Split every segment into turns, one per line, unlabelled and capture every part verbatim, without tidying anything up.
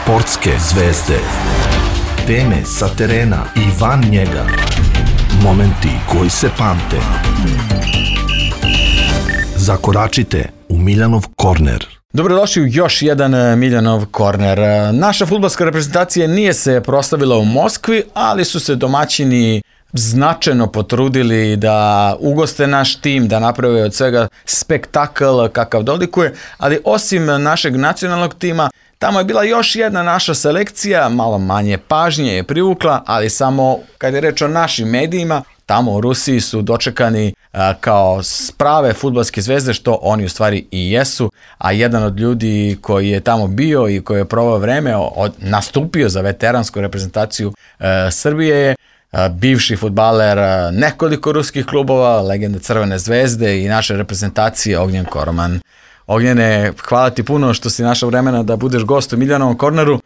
Sportske zvezde. Teme sa terena i van njega. Momenti koji se pamte. Zakoračite u Miljanov korner.
Dobrodošli u još jedan Miljanov korner. Naša fudbalska reprezentacija nije se proslavila u Moskvi, ali su se domaćini značajno potrudili da ugoste naš tim, da naprave od svega spektakl kakav dolikuje, ali osim našeg nacionalnog tima, tamo je bila još jedna naša selekcija, malo manje pažnje je privukla, ali samo kad je reč o našim medijima, tamo u Rusiji su dočekani a, kao prave fudbalske zvezde, što oni u stvari i jesu, a jedan od ljudi koji je tamo bio i koji je provao vreme, od, nastupio za veteransku reprezentaciju a, Srbije je a, bivši fudbaler a, nekoliko ruskih klubova, legenda Crvene zvezde i naše reprezentacije Ognjen Koroman. Ognjene, hvala ti puno što si našao vremena da budeš gost u Miljanovom korneru. Uh,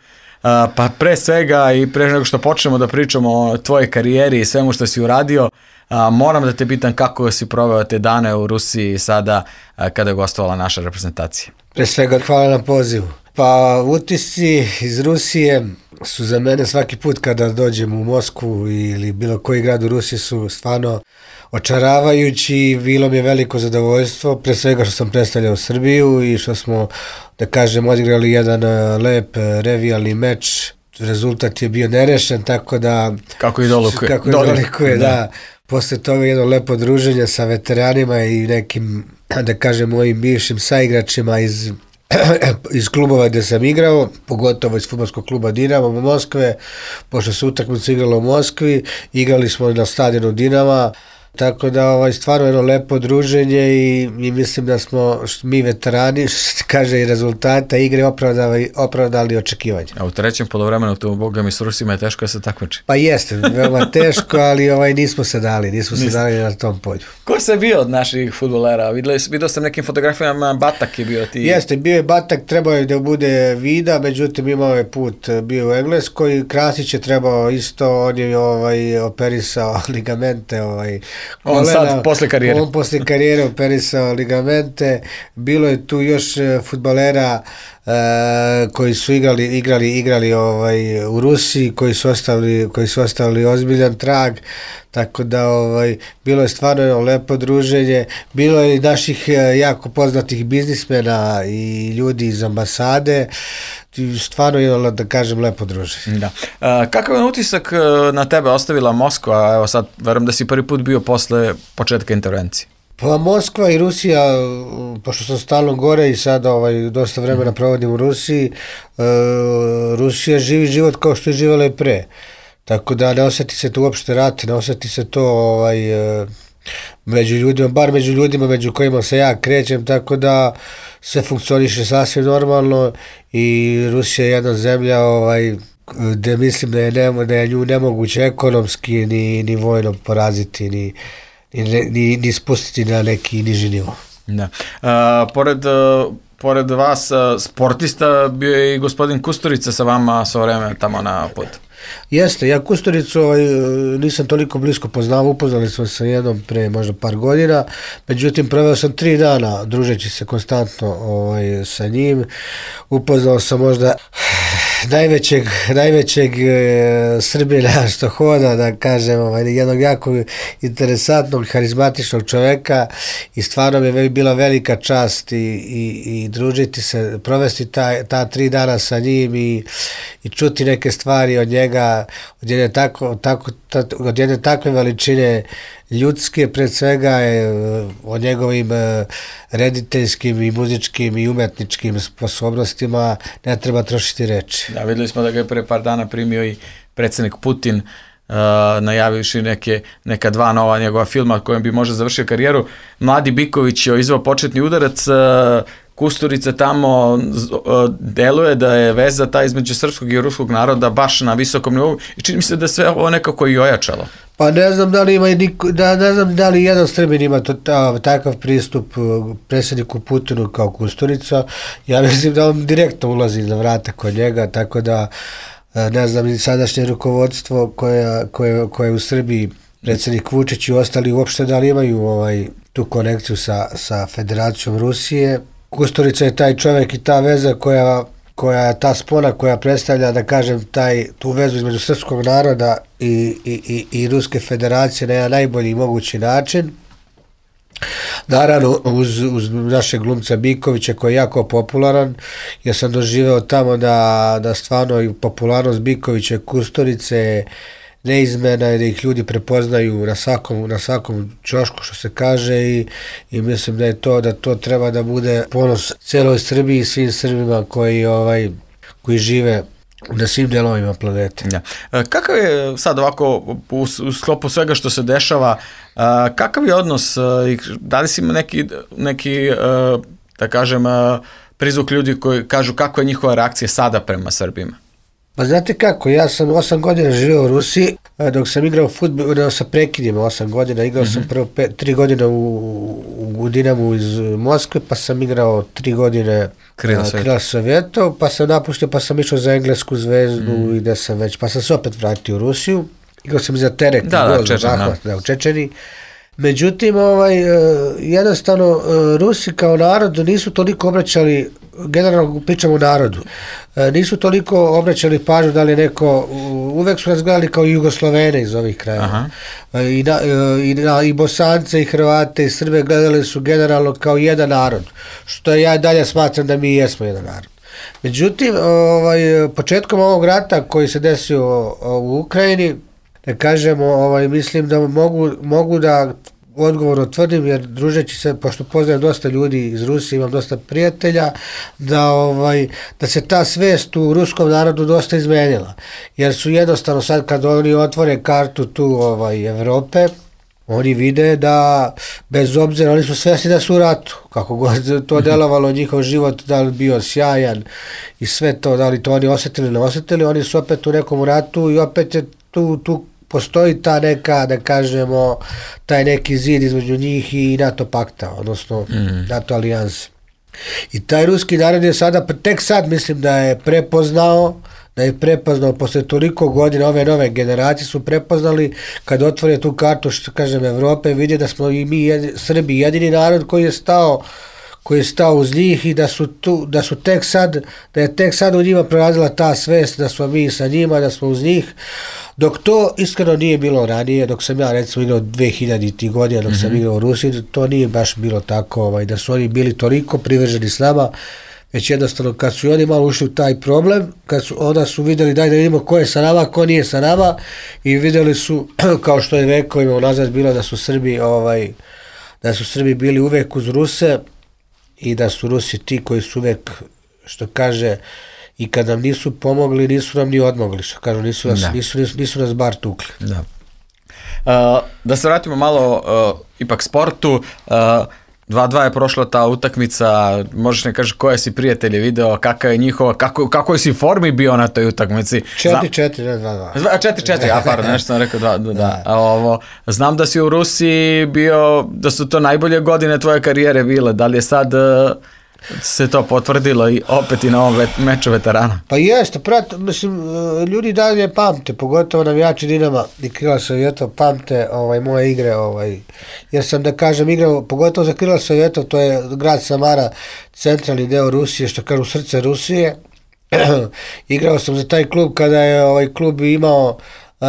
pa pre svega i pre nego što počnemo da pričamo o tvojoj karijeri i svemu što si uradio, uh, moram da te pitam kako si proveo te dane u Rusiji sada uh, kada je gostovala naša reprezentacija.
Pre svega hvala na pozivu. Pa utisci iz Rusije su za mene svaki put kada dođem u Moskvu ili bilo koji grad u Rusiji su stvarno očaravajući i bilo mi je veliko zadovoljstvo, pre svega što sam predstavljao Srbiju i što smo, da kažem, odigrali jedan lep revijalni meč. Rezultat je bio nerešen, tako da...
Kako i dolikuje.
Kako i dolikuje, da. da. Posle toga jedno lepo druženje sa veteranima i nekim, da kažem, mojim bivšim saigračima iz... iz klubova gde sam igrao, pogotovo iz fudbalskog kluba Dinamo u Moskve, pošto se utakmica igrala u Moskvi, igrali smo na stadionu Dinama, tako da ovaj, stvarno jedno lepo druženje i, i mislim da smo mi veterani, što se kaže i rezultata igre, opravdali, opravdali očekivanje.
A u trećem polovremenu tu, boga mi s Rusima je teško da se takmiči.
Pa jeste, veoma teško, ali ovaj, nismo se dali, nismo se dali na tom polju.
Ko se bio od naših fudbalera? Vidio sam nekim fotografijama, Batak je bio ti.
Jeste, bio je Batak, trebao je da bude Vida, međutim imao je put bio u Engleskoj, Krasić je trebao isto, on je ovaj, operisao ligamente, ovaj,
on
kolena,
sad, posle karijere.
On posle karijere operisao ligamente, bilo je tu još fudbalera uh, koji su igrali, igrali, igrali ovaj, u Rusiji, koji su ostavili, koji su ostavili ozbiljan trag, tako da ovaj, bilo je stvarno jedno lepo druženje, bilo je i naših jako poznatih biznismena i ljudi iz ambasade, stvarno je, da kažem, lepo druženje.
Da. Uh, kakav je utisak na tebe ostavila Moskva? Evo sad, verujem da si prvi put bio posle početka intervencije.
Pa Moskva i Rusija, pošto sam stalno gore i sada ovaj, dosta vremena provodim u Rusiji, uh, Rusija živi život kao što je živala i pre. Tako da ne osjeti se to uopšte rat, ne osjeti se to ovaj, među ljudima, bar među ljudima među kojima se ja krećem, tako da sve funkcioniše sasvim normalno i Rusija je jedna zemlja ovaj, gde mislim da je, ne, da je nju nemoguće ekonomski ni, ni vojno poraziti, ni, ni, ni, ni spustiti na neki niži nivo.
Da. A, pored... Pored vas, sportista, bio je i gospodin Kusturica sa vama svo vreme tamo na putu.
Jeste, ja Kusturicu ovaj, nisam toliko blisko poznao, upoznali smo se jednom pre možda par godina, međutim proveo sam tri dana družeći se konstantno ovaj, sa njim, upoznao sam možda najvećeg, najvećeg e, Srbina što hoda, da kažem, ovaj, jednog jako interesantnog, harizmatičnog čoveka i stvarno mi je bila velika čast i, i, i družiti se, provesti ta, ta tri dana sa njim i, i čuti neke stvari od njega, od jedne, tako, tako, ta, od jedne takve veličine ljudske, pred svega je o njegovim rediteljskim i muzičkim i umetničkim sposobnostima ne treba trošiti reči.
Da, videli smo da ga je pre par dana primio i predsjednik Putin, uh, najavivši neke, neka dva nova njegova filma kojim bi možda završio karijeru. Mladi Biković je izvao početni udarac, uh, Kusturica tamo uh, deluje da je veza ta između srpskog i ruskog naroda baš na visokom nivou i čini mi se da je sve ovo nekako i ojačalo.
Pa ne znam da li ima niko, da, ne znam da li jedan Srbin ima to, ta, takav pristup predsjedniku Putinu kao Kusturica. Ja mislim da on direktno ulazi na vrata kod njega, tako da ne znam, sadašnje rukovodstvo koje, koje, koje u Srbiji, predsjednik Vučić i ostali uopšte da li imaju ovaj, tu konekciju sa, sa Federacijom Rusije. Kusturica je taj čovjek i ta veza koja koja ta spona koja predstavlja, da kažem, taj, tu vezu između srpskog naroda i, i, i, i Ruske federacije na jedan najbolji mogući način. Naravno, uz, uz našeg glumca Bikovića koji je jako popularan, ja sam doživeo tamo da, da stvarno i popularnost Bikovića i Kusturice neizmjerna i da ih ljudi prepoznaju na svakom, na svakom ćošku, što se kaže, i, i mislim da je to, da to treba da bude ponos cijeloj Srbiji i svim Srbima koji, ovaj, koji žive na svim delovima planete.
Ja. Kakav je sad ovako u, u sklopu svega što se dešava, kakav je odnos, da li si ima neki, neki da kažem, prizvuk ljudi koji kažu kako je njihova reakcija sada prema Srbima?
Pa znate kako, ja sam osam godina živio u Rusiji, dok sam igrao fudbal, sa prekidima osam godina, igrao mm-hmm. sam prvo pet, tri godine u, u Dinamu iz Moskve, pa sam igrao tri godine Krila, Krila Sovjetov, pa sam napuštio, pa sam išao za Englesku zvezdu mm. i gde sam već, pa sam se opet vratio u Rusiju, igrao sam za Terek,
da,
gol,
da, Čečen,
zahvat, da, u Čečeni. Međutim, ovaj, jednostavno, Rusi kao narod nisu toliko obraćali, generalno pričamo o narodu, nisu toliko obraćali pažnju da li neko, uvek su nas gledali kao Jugoslovene iz ovih krajeva. I, na, i, na, i Bosance, i Hrvate, i Srbe gledali su generalno kao jedan narod, što ja dalje smatram da mi jesmo jedan narod. Međutim, ovaj, početkom ovog rata koji se desio u Ukrajini, da kažemo, ovaj, mislim da mogu, mogu da odgovorno tvrdim, jer družeći se, pošto poznajem dosta ljudi iz Rusije, imam dosta prijatelja, da, ovaj, da se ta svest u ruskom narodu dosta izmenila. Jer su jednostavno sad kad oni otvore kartu tu ovaj, Evrope, oni vide da, bez obzira, oni su svesni da su u ratu, kako god to delovalo, njihov život, da li bio sjajan i sve to, da li to oni osjetili ili ne osjetili, oni su opet u nekom ratu i opet je tu, tu postoji ta neka, da kažemo, taj neki zid između njih i NATO pakta, odnosno mm. NATO alijanse. I taj ruski narod je sada, tek sad mislim da je prepoznao, da je prepoznao posle toliko godina, ove nove generacije su prepoznali kad otvore tu kartu, što kažem, Evrope, vide da smo i mi jedi, Srbi jedini narod koji je stao koji je stao uz njih i da su, tu, da su tek sad, da je tek sad u njima prorazila ta svest da smo mi sa njima, da smo uz njih, dok to iskreno nije bilo ranije, dok sam ja recimo igrao dve hiljadite godina, dok mm-hmm. sam igrao u Rusiji, to nije baš bilo tako, ovaj, da su oni bili toliko privrženi s nama, već jednostavno kad su oni malo ušli u taj problem, kad su, onda su vidjeli daj da vidimo ko je sa nama, ko nije sa nama i vidjeli su, kao što je vekovima unazad bilo da su Srbi, ovaj, da su Srbi bili uvek uz Ruse, i da su Rusi ti koji su uvek, što kaže, i kad nam nisu pomogli, nisu nam ni odmogli, što kažu, nisu nas, nisu, nisu, nisu nas bar tukli.
Da. Uh, da se vratimo malo uh, ipak sportu, uh, dva dva je prošla ta utakmica, možeš ne kaži koje si prijatelje video, kakva je njihova, kako, kako si formi bio na toj utakmici?
četiri četiri, ne dva dva.
četiri četiri, a pardon, nešto sam rekao dva, da, da. A ovo, znam da si u Rusiji bio, da su to najbolje godine tvoje karijere bile, da li je sad uh, se to potvrdilo i opet i na ovom vet, meču veterana?
Pa jeste, prat, mislim, ljudi dalje pamte, pogotovo navijači Dinama i Krila Sovjetov pamte ovaj, moje igre, ovaj, jer sam, da kažem, igrao, pogotovo za Krila Sovjetov, to je grad Samara, centralni deo Rusije, što kažu srce Rusije. Igrao sam za taj klub kada je ovaj klub imao uh,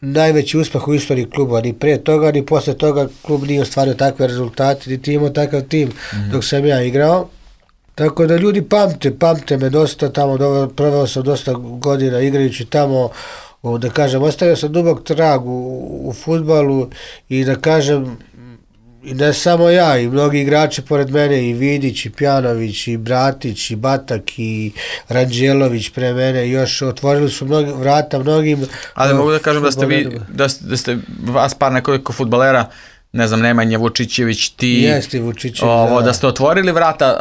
najveći uspeh u istoriji kluba, ni pre toga, ni posle toga klub nije ostvario takve rezultate, niti imao takav tim mm-hmm. dok sam ja igrao. Tako da ljudi pamte, pamte me dosta tamo, do, proveo sam dosta godina igrajući tamo, o, da kažem, ostavio sam dubok trag u, u fudbalu i da kažem, i ne samo ja, i mnogi igrači pored mene, i Vidić, i Pjanović, i Bratić, i Batak, i Ranđelović pre mene, još otvorili su mnogi, vrata mnogim.
Ali mogu da kažem da ste vi, da ste, da ste vas par nekoliko fudbalera, ne znam, Nemanja Vučićević, ti,
Jeste, Vučićević,
ovo,
da.
da ste otvorili vrata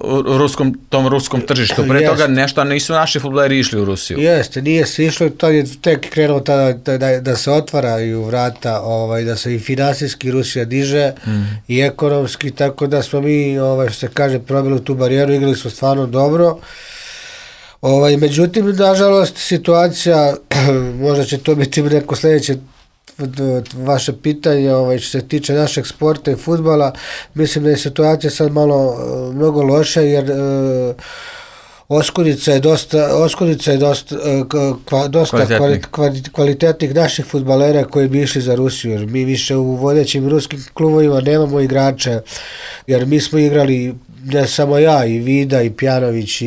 uh, ruskom, tom ruskom tržištu. Pre Jeste. Toga nešto, a nisu naši fudbaleri išli u Rusiju.
Jeste, nije se išlo, to je tek krenuo tada da, da, da se otvaraju vrata, ovaj, da se i finansijski Rusija diže mm. i ekonomski, tako da smo mi, ovaj, što se kaže, probili tu barijeru, igrali smo stvarno dobro. Ovaj, međutim, nažalost, situacija, možda će to biti neko sljedeće vaše pitanje, ovaj, što se tiče našeg sporta i fudbala, mislim da je situacija sad malo mnogo loša, jer uh, Oskudica je dosta, Oskudica je dosta, kva, dosta kvalitetnih. Kvali, kvalitetnih naših fudbalera koji bi išli za Rusiju, jer mi više u vodećim ruskim klubovima nemamo igrača, jer mi smo igrali, ne samo ja, i Vida, i Pjanović, i,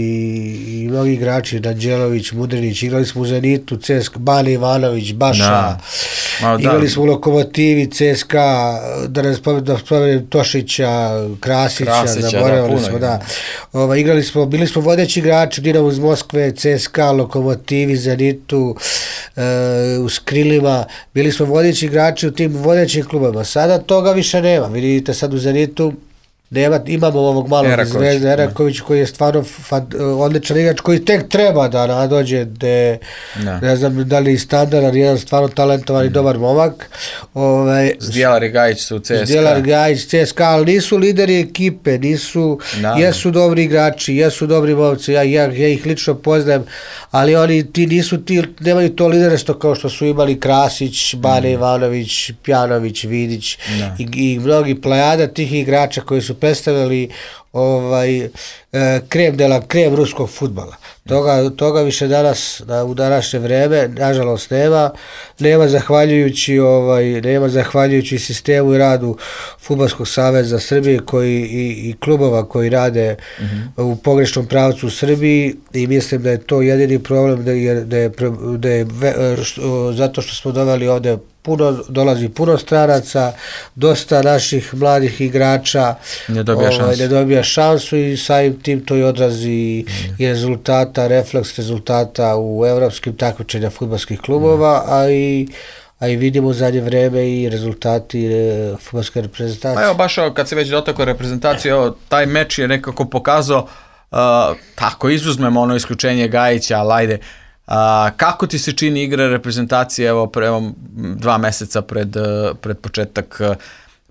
i mnogi igrači, Danđelović, Mudrinić, igrali smo u Zenitu, C S K A, Bane Ivanović, Baša, da. Ma, igrali da. smo u Lokomotivi, C S K A, da ne spomenem Tošića, Krasića, Krasića zaboravili da, smo, da. Ova, igrali smo, bili smo vodeći igrači, Dinamo iz Moskve, C S K A, Lokomotivi, Zenitu, e, u Skrilima, bili smo vodeći igrači u tim vodećim klubama. Sada toga više nema, vidite sad u Zenitu, nema, imamo ovog malog Zvezda Eraković koji je stvarno fan, odličan igrač koji tek treba da nadođe de, ne. ne znam da li je standard, jedan stvarno talentovan i dobar momak. Ove,
Zdjelar i Gajić su u C S K A.
Zdjelar i Gajić, C S K A, ali nisu lideri ekipe, nisu, da. jesu dobri igrači, jesu dobri momci, ja, ja, ja ih lično poznajem, ali oni ti nisu ti, nemaju to liderstvo kao što su imali Krasić, Bane mm. Ivanović, Pjanović, Vidić i, i mnogi plejada tih igrača koji su predstavljali ovaj, e, krem dela, krem ruskog fudbala. Toga, toga više danas, da, u današnje vreme, nažalost nema, nema zahvaljujući, ovaj, nema zahvaljujući sistemu i radu Fudbalskog saveza Srbije koji, i, i klubova koji rade mm-hmm. u pogrešnom pravcu u Srbiji i mislim da je to jedini problem da je, da je, da je, da je što, zato što smo doveli ovde puno, dolazi puno stranaca, dosta naših mladih igrača
ne dobija, ovaj,
ne dobija šansu i samim tim to i odrazi mm. i rezultata, refleks rezultata u evropskim takmičenja fudbalskih klubova, mm. a i a i vidimo u zadnje vreme i rezultati e, fudbalske reprezentacije.
Pa evo, baš kad se već dotakao reprezentacije, evo, taj meč je nekako pokazao, uh, tako izuzmemo ono isključenje Gajića, ali ajde, Uh, kako ti se čini igra reprezentacije evo, pre, evo dva meseca pred, pred početak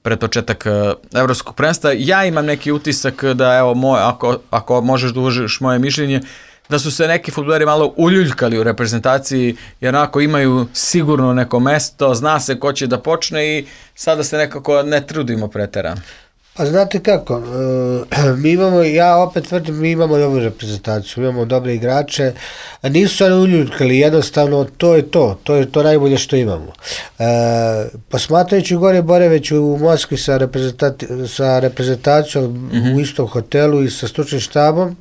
pred početak evropskog prvenstva? Ja imam neki utisak da evo moj, ako, ako možeš da uvažiš moje mišljenje, da su se neki fudbaleri malo uljuljkali u reprezentaciji, jer onako imaju sigurno neko mesto, zna se ko će da počne i sada se nekako ne trudimo preterano.
A znate kako, mi imamo, ja opet tvrdim, mi imamo dobru reprezentaciju, imamo dobre igrače, a nisu se uljuljkali, jednostavno to je to, to je to najbolje što imamo. E, posmatrajući gore Boreveć u Moskvi sa, reprezentati, sa reprezentacijom mm-hmm. u istom hotelu i sa stručnim štabom,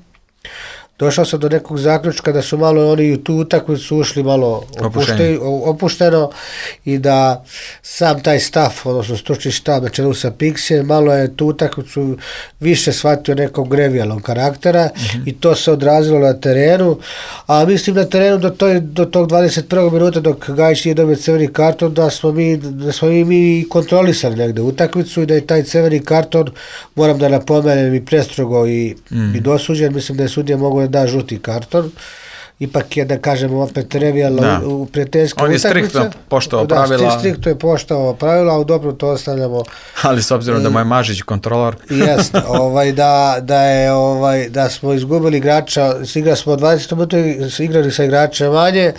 došao sam do nekog zaključka da su malo oni u tu utakmicu ušli malo opušte, opušteno i da sam taj staff, odnosno stručni štab na čelu sa Pixijem, malo je tu utakmicu više shvatio nekog grevijalnog karaktera mm-hmm. i to se odrazilo na terenu, a mislim na terenu do, toj, do tog dvadeset prvog minuta dok Gajić nije dobio crveni karton da smo mi, da smo mi, mi kontrolisali negde utakmicu i da je taj crveni karton, moram da napomenem, i prestrogo i, mm. i dosuđen, mislim da je sudija mogao da žuti karton, ipak je, da kažemo, opet revijalno u prijateljske utakmice. On je striktno
poštovao pravila.
Da, striktno je poštovao pravila, a u dobro to ostavljamo.
Ali s obzirom da mu je Mažić kontrolor.
Jest, ovaj, da, da, je, ovaj, da smo izgubili igrača, igrali smo dvadeset minuta, igrali sa igrača manje. E,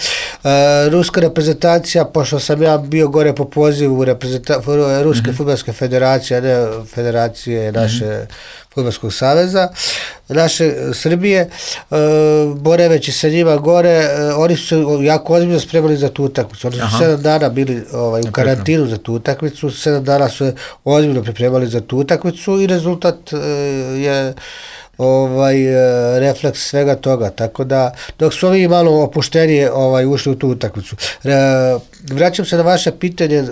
ruska reprezentacija, pošto sam ja bio gore po pozivu reprezenta, Ruske mm-hmm. fudbalske federacije, a ne federacije naše mm-hmm. Fudbalskog saveza, naše Srbije, e, Boreveć i sa njima gore, e, oni su se jako ozbiljno spremali za tu utakmicu. Oni su Aha. sedam dana bili ovaj, u karantinu za tu utakmicu, sedam dana su ozbiljno pripremali za tu utakmicu i rezultat e, je ovaj refleks svega toga, tako da dok su ovi malo opuštenije ovaj, ušli u tu utakmicu. Re, vraćam se na vaše pitanje,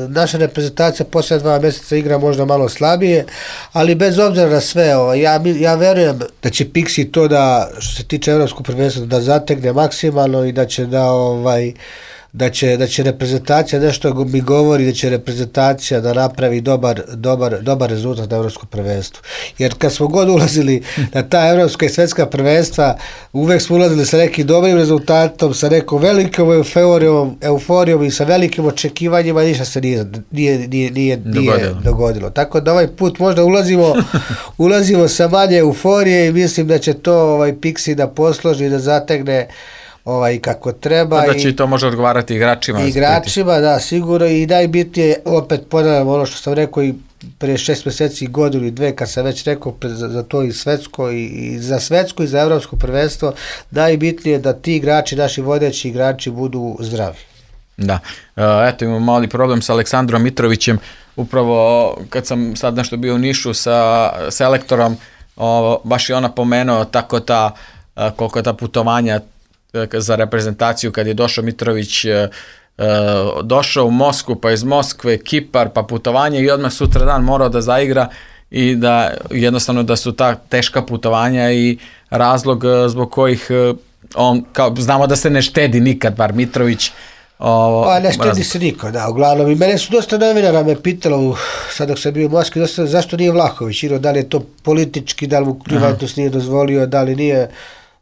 naša reprezentacija poslije dva mjeseca igra možda malo slabije, ali bez obzira na sve, ovaj, ja, ja verujem da će Pixi to da, što se tiče evropskog prvenstva, da zategne maksimalno i da će da ovaj da će, da će reprezentacija, nešto mi govori da će reprezentacija da napravi dobar, dobar, dobar rezultat na evropskom prvenstvu. Jer kad smo god ulazili na ta evropska i svetska prvenstva, uvek smo ulazili sa nekim dobrim rezultatom, sa nekom velikom euforijom, euforijom i sa velikim očekivanjima, ništa se nije, nije, nije, nije, nije dogodilo. dogodilo. Tako da ovaj put možda ulazimo, ulazimo sa manje euforije i mislim da će to ovaj Pixi da posloži i da zategne ovaj kako treba.
Da će i to može odgovarati igračima.
Igračima, da, sigurno, i najbitnije, opet ponavljam ono što sam rekao i pre šest meseci, godinu i dve, kad sam već rekao za, za to i svetsko, i, i za svetsko i za evropsko prvenstvo, najbitnije je da ti igrači, naši vodeći igrači, budu zdravi.
Da, eto imamo mali problem sa Aleksandrom Mitrovićem, upravo kad sam sad nešto bio u Nišu sa selektorom, o, baš je ona pomenuo tako ta, koliko ta putovanja za reprezentaciju, kad je došao Mitrović, došao u Moskvu, pa iz Moskve Kipar, pa putovanje i odmah sutra dan morao da zaigra i da jednostavno da su ta teška putovanja i razlog zbog kojih on, kao, znamo da se ne štedi nikad, bar Mitrović. O,
pa ne štedi se niko, da, uglavnom i mene su dosta novinara me pitalo, sad dok sam bio u Moskvi, dosta, zašto nije Vlahović, da li je to politički, da li mu Juventus nije dozvolio, da li nije.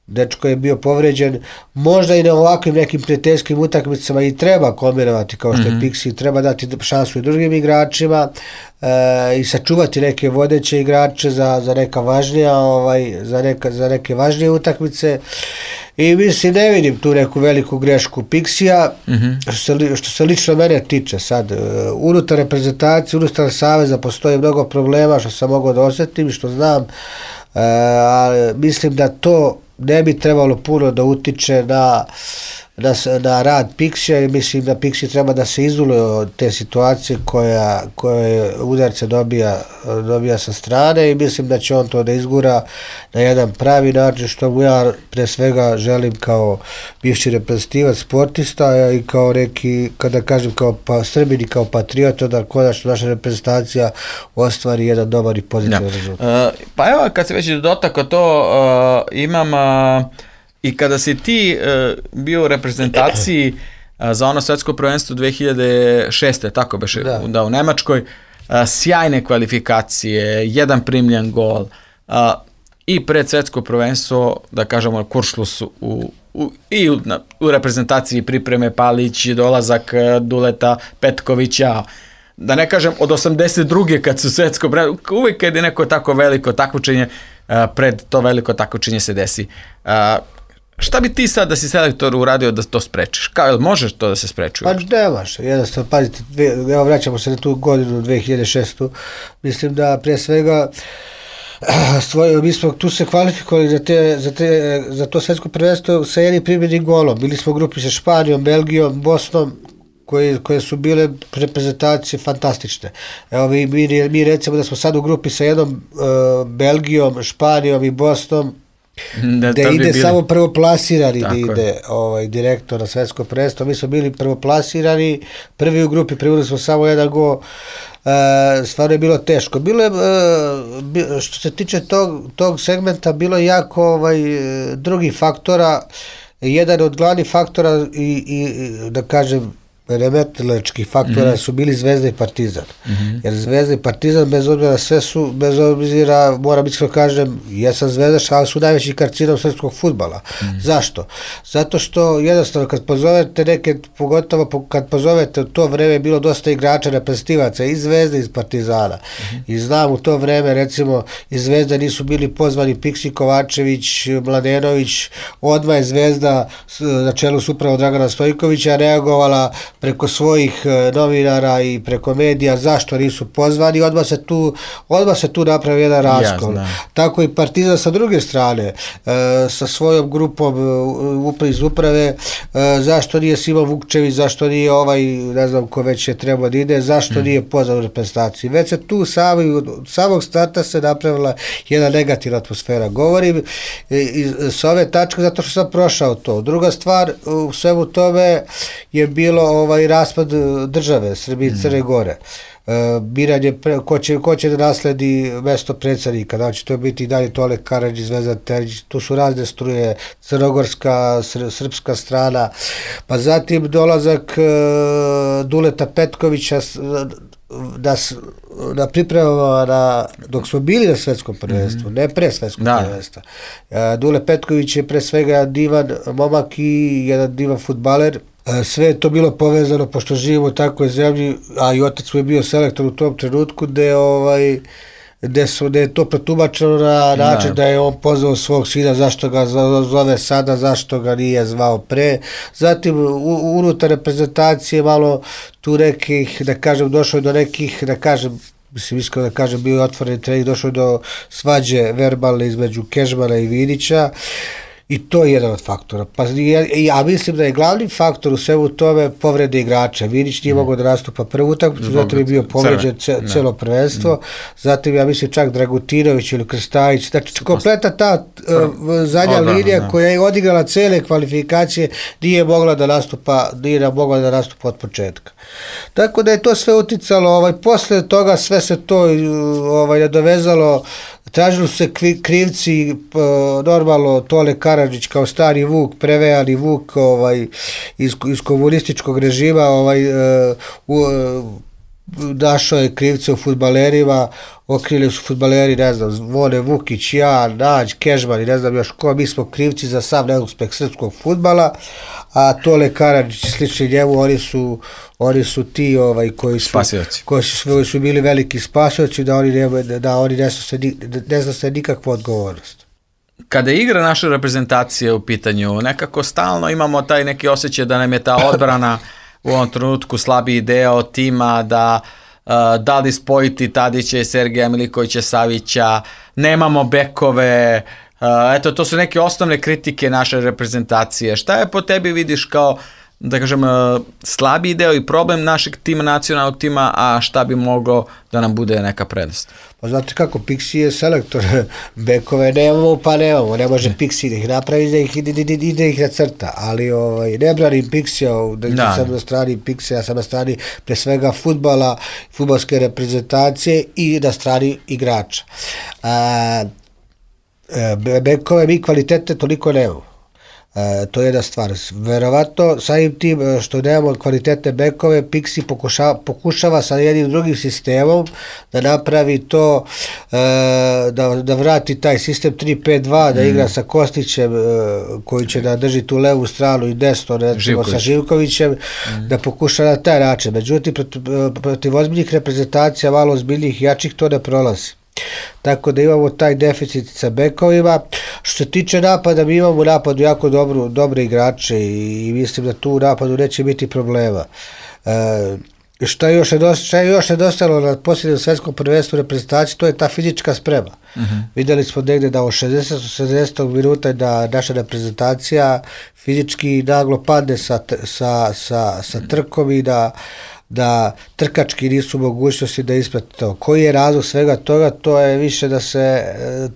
Dečko je bio povređen, možda i na ovakvim nekim prijateljskim utakmicama i treba kombinavati kao što je Pixi, treba dati šansu i drugim igračima e, i sačuvati neke vodeće igrače za, za neka važnija, ovaj, za, neka, za neke važnije utakmice i mislim ne vidim tu neku veliku grešku Pixija, mm-hmm. što, se, što se lično mene tiče sad, unutar reprezentacije, unutar saveza postoji mnogo problema što sam mogao da osjetim i što znam, e, ali mislim da to ne bi trebalo puno da utiče na, na, na rad Pixija i mislim da Pixi treba da se izoluje od te situacije koja, koje udarce dobija, dobija sa strane i mislim da će on to da izgura na jedan pravi način što mu ja pre svega želim kao bivši reprezentativac sportista i kao neki, kada kažem kao pa, Srbin i kao patriota da konačno naša reprezentacija ostvari jedan dobar i pozitivan rezultat.
Uh, pa evo kad se već dotakao to uh, imam uh, i kada si ti uh, bio u reprezentaciji uh, za ono svetsko prvenstvo dve hiljade šeste. tako beše, da. da u Nemačkoj, uh, sjajne kvalifikacije, jedan primljen gol uh, i pred svetsko prvenstvo, da kažemo, kuršlus u, u, i u, na, u reprezentaciji pripreme Palić, dolazak uh, Duleta Petkovića, da ne kažem od osamdeset druge kad su svetsko prvenstvo, uvijek kad je neko tako veliko takmičenje, uh, pred to veliko takmičenje se desi. Uh, Šta bi ti sad da si selektor uradio da to sprečiš? Kao, možeš to da se spreči?
Pa nemaš, jednostavno, pazite, dve, evo vraćamo se na tu godinu dve hiljade šeste. Mislim da prije svega Svoj, mi smo tu se kvalifikovali za, te, za, te, za to svetsko prvenstvo sa jednim primjenim golom. Bili smo u grupi sa Španijom, Belgijom, Bosnom, koje, koje su bile reprezentacije fantastične. Evo mi, mi, mi recimo da smo sad u grupi sa jednom uh, Belgijom, Španijom i Bosnom, da, da ide bi samo prvoplasirani da ide ovaj, direktor na svetsko prvenstvo. Mi smo bili prvoplasirani, prvi u grupi, privili smo samo jedan gol. E, stvarno je bilo teško. Bilo je, e, što se tiče tog, tog segmenta, bilo je jako ovaj, drugih faktora. Jedan od glavnih faktora i, i da kažem remetilačkih faktora mm-hmm. su bili Zvezda i Partizan. Mm-hmm. Jer Zvezda i Partizan, bez obzira sve su, bez obzira, moram iskreno kažem, jesam zvezdaš, ali su najveći karcinom srpskog fudbala. Mm-hmm. Zašto? Zato što jednostavno kad pozovete neke, pogotovo kad pozovete u to vreme je bilo dosta igrača reprezentativaca iz Zvezde i iz Partizana. Mm-hmm. I znam u to vreme recimo iz Zvezda nisu bili pozvani Pixi, Kovačević, Mladenović, odmah je Zvezda na čelu s upravo Dragana Stojkovića reagovala preko svojih novinara i preko medija zašto nisu pozvani, odmah se tu, odmah se tu napravi jedan raskol. Yes, tako i Partizan sa druge strane, e, sa svojom grupom upra iz uprave, e, zašto nije Simo Vukčević, zašto nije ovaj, ne znam ko već je trebao da ide, zašto mm. nije pozvan u reprezentaciju. Već se tu sami, od samog starta se napravila jedna negativna atmosfera. Govorim iz, s ove tačke zato što sam prošao to. Druga stvar, u svemu tome je bilo ovaj raspad države Srbije i Crne Gore. E, biranje pre, ko, će, ko će da nasledi mesto predsjednika, znači to je biti i dalje Tole Karadžić, Zvezdan Terzić, tu su razne struje, crnogorska, sr, srpska strana, pa zatim dolazak e, Duleta Petkovića da, da pripremamo na, dok smo bili na svetskom prvenstvu, mm-hmm. ne pre svetskog prvenstva. E, Dule Petković je pre svega divan momak i jedan divan fudbaler. Sve je to bilo povezano, pošto živimo u takvoj zemlji, a i otac mu je bio selektor u tom trenutku, gde, ovaj, gde, su, gde je to protumačeno na način da. da je on pozvao svog sina, zašto ga zove sada, zašto ga nije zvao pre. Zatim, u, unutar reprezentacije malo tu nekih, da kažem, došlo je do nekih, da kažem, mislim, iskreno da kažem, bio otvoren trening, došlo do svađe verbalne između Kežmana i Vidića, i to je jedan od faktora. Pa ja, ja mislim da je glavni faktor u svemu tome povrede igrača. Vidić nije mm. mogao da nastupa prvu utakmicu, zato je bio povređen ce, celo prvenstvo, mm. zatim ja mislim čak Dragutinović ili Krstajić, znači kompleta ta uh, zadnja Odbrana, linija ne. koja je odigrala cele kvalifikacije nije mogla da nastupa, nije mogla da nastupa od početka. Tako da je to sve uticalo, ovaj, posle toga sve se to ovaj, nadovezalo, tražili su se krivci, normalno Tole Karadžić kao stari Vuk, prevejani Vuk ovaj, iz, iz komunističkog režima, ovaj, uh, našao je krivce u fudbalerima, okrili su fudbaleri, ne znam, Zvone Vukić, ja, Nađ, Kežman i ne znam još ko, mi smo krivci za sav neuspeh srpskog fudbala, a Tole Karadžić i slični njemu, oni su, oni su ti ovaj, koji, su, koji, su, koji su bili veliki spasioci, da oni ne, da oni ne snose ne snose nikakvu odgovornost.
Kada je igra naše reprezentacije u pitanju, nekako stalno imamo taj neki osjećaj da nam je ta odbrana u ovom trenutku slabiji deo tima, da uh, da li spojiti Tadića i Sergeja Milikovića Savića, nemamo bekove, uh, eto to su neke osnovne kritike naše reprezentacije. Šta je po tebi vidiš kao, da kažem, uh, slabiji deo i problem našeg tima, nacionalnog tima, a šta bi moglo da nam bude neka prednost?
Pa znate kako, Pixi je selektor, bekove nemamo, pa nemamo, ne može Pixi da ih napravi, da ih, i da ih nacrta, ali ovaj, ne branim Pixija, da, da sam na strani Pixija, ja sam na strani pre svega fudbala, fudbalske reprezentacije i na strani igrača. A, bekove mi kvalitete toliko nemamo. E, to je jedna stvar. Verovatno, samim tim što nemamo kvalitetne bekove, Pixi pokušava, pokušava sa jednim drugim sistemom da napravi to, e, da, da vrati taj sistem tri pet dva, da mm. igra sa Kostićem, e, koji će da drži tu levu stranu i desno, recimo sa Živkovićem, mm. da pokuša na taj način. Međutim, protiv, protiv ozbiljnih reprezentacija, malo ozbiljnih, jačih, to ne prolazi. Tako da imamo taj deficit sa bekovima. Što se tiče napada, mi imamo u napadu jako dobru, dobre igrače i, i mislim da tu u napadu neće biti problema. E, šta je još nedostalo, je još nedostalo na posljednjem svetskom prvenstvu reprezentaciji, to je ta fizička sprema. Uh-huh. Videli smo negde da od šezdeset do sedamdeset minuta da naša reprezentacija fizički naglo padne sa, sa, sa, sa trkom i da da trkački nisu mogućnosti da isprate to. Koji je razlog svega toga? To je više da se,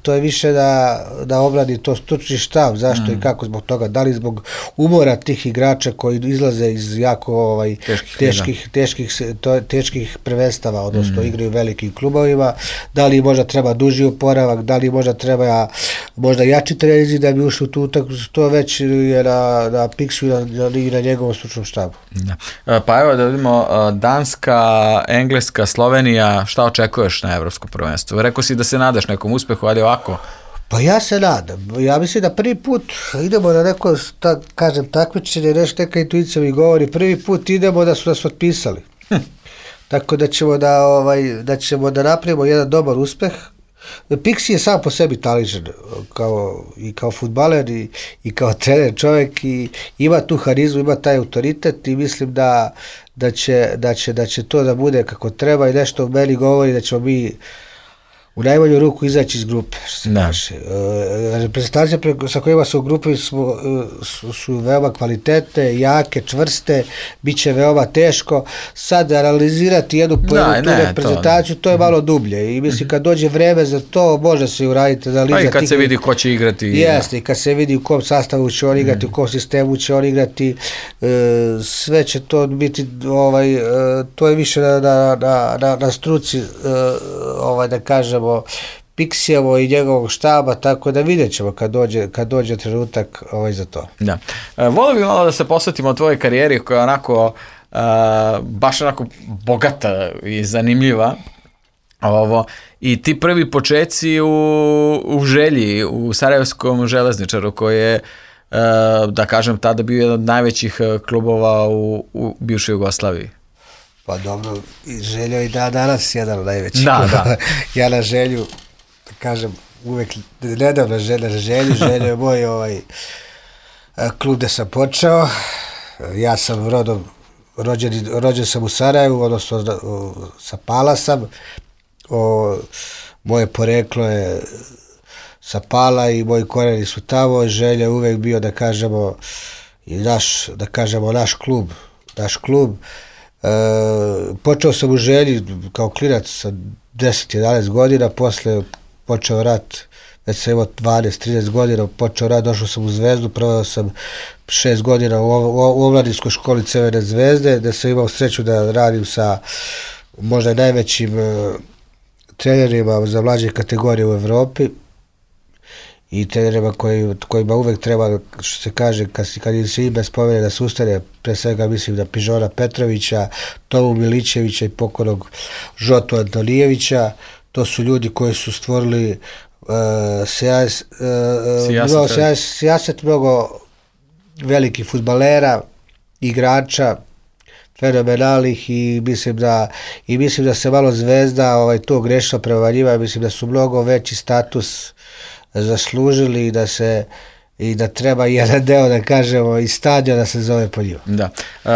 to je više da, da obradi to stručni štab. Zašto mm. i kako zbog toga? Da li zbog umora tih igrača koji izlaze iz jako ovaj, teških, teških, teških, to, teških prvenstava, odnosno mm. igraju u velikim klubovima, da li možda treba duži oporavak, da li možda treba možda jači treninzi da bi ušli u tu utakmicu, to već je na, na Pixu i na, na, na njegovom stručnom štabu.
Da. Pa evo da vidimo Danska, Engleska, Slovenija, šta očekuješ na evropskom prvenstvu? Rekao si da se nadaš nekom uspehu, ali ovako?
Pa ja se nadam. Ja mislim da prvi put idemo na neko, ta, kažem, takmičenje, nešto neka intuicija mi govori, prvi put idemo da su nas otpisali. Hm. Tako da ćemo da, ovaj, da ćemo da napravimo jedan dobar uspeh. Pixi je sam po sebi taličan kao, i kao fudbaler i, i kao trener čovjek i ima tu harizmu, ima taj autoritet i mislim da, da, će, da, će, da će to da bude kako treba i nešto meni govori da ćemo mi u najmanju ruku izaći iz grupe, što se kaže. E, reprezentacije sa kojima su u grupi su, su, su veoma kvalitetne, jake, čvrste, bit će veoma teško. Sad analizirati jednu po jednu tu reprezentaciju, to, to je malo dublje i mislim kad dođe vreme za to, može se uraditi analiza.
Pa i kad tih, se vidi ko će igrati.
Jeste, i kad se vidi u kom sastavu će on igrati, mm. u kom sistemu će on igrati, e, sve će to biti, ovaj, e, to je više na, na, na, na, na struci, e, ovaj, da kažem, Pixijevo i njegovog štaba, tako da vidjet ćemo kad dođe, kad dođe trenutak ovaj za to.
Da. E, volio bih malo da se posvetimo o tvojoj karijeri koja je onako e, baš onako bogata i zanimljiva. Ovo, i ti prvi počeci u, u Želji, u Sarajevskom železničaru koji je, e, da kažem, tada bio jedan od najvećih klubova u, u bivšoj Jugoslaviji.
Pa dobro, Željo i da danas jedan od najvećih.
Da, da.
Ja na Želju, da kažem, uvek nedavno želja na Želju, Željo je moj ovaj, klub gde sam počeo. Ja sam rodom, rođen, rođen sam u Sarajevu, odnosno sa Pala sam o, moje poreklo je sa Pala i moji korijeni su tamo, želja je uvek bio da kažemo i naš, da kažemo naš klub, naš klub. E, počeo sam u Želji kao klinac sa deset jedanaest godina, posle počeo rat, već sam imao dvanaest trinaest godina, počeo rat, došao sam u Zvezdu, proveo sam šest godina u, u omladinskoj školi Crvene Zvezde, gde sam imao sreću da radim sa možda najvećim e, trenerima za mlađe kategorije u Evropi i trenerima koji, kojima uvek treba, što se kaže, kad, kad im se ime spomene da se ustane, pre svega mislim na Pižona Petrovića, Tomu Milićevića i pokojnog Žotu Antonijevića. To su ljudi koji su stvorili uh, sijaset, uh, sijaset, sijaset mnogo velikih fudbalera, igrača, fenomenalnih i mislim da i mislim da se malo Zvezda ovaj, to grešno prema njima, mislim da su mnogo veći status zaslužili i da se i da treba jedan deo da kažemo i stadion da se zove po njima.
Da. Uh,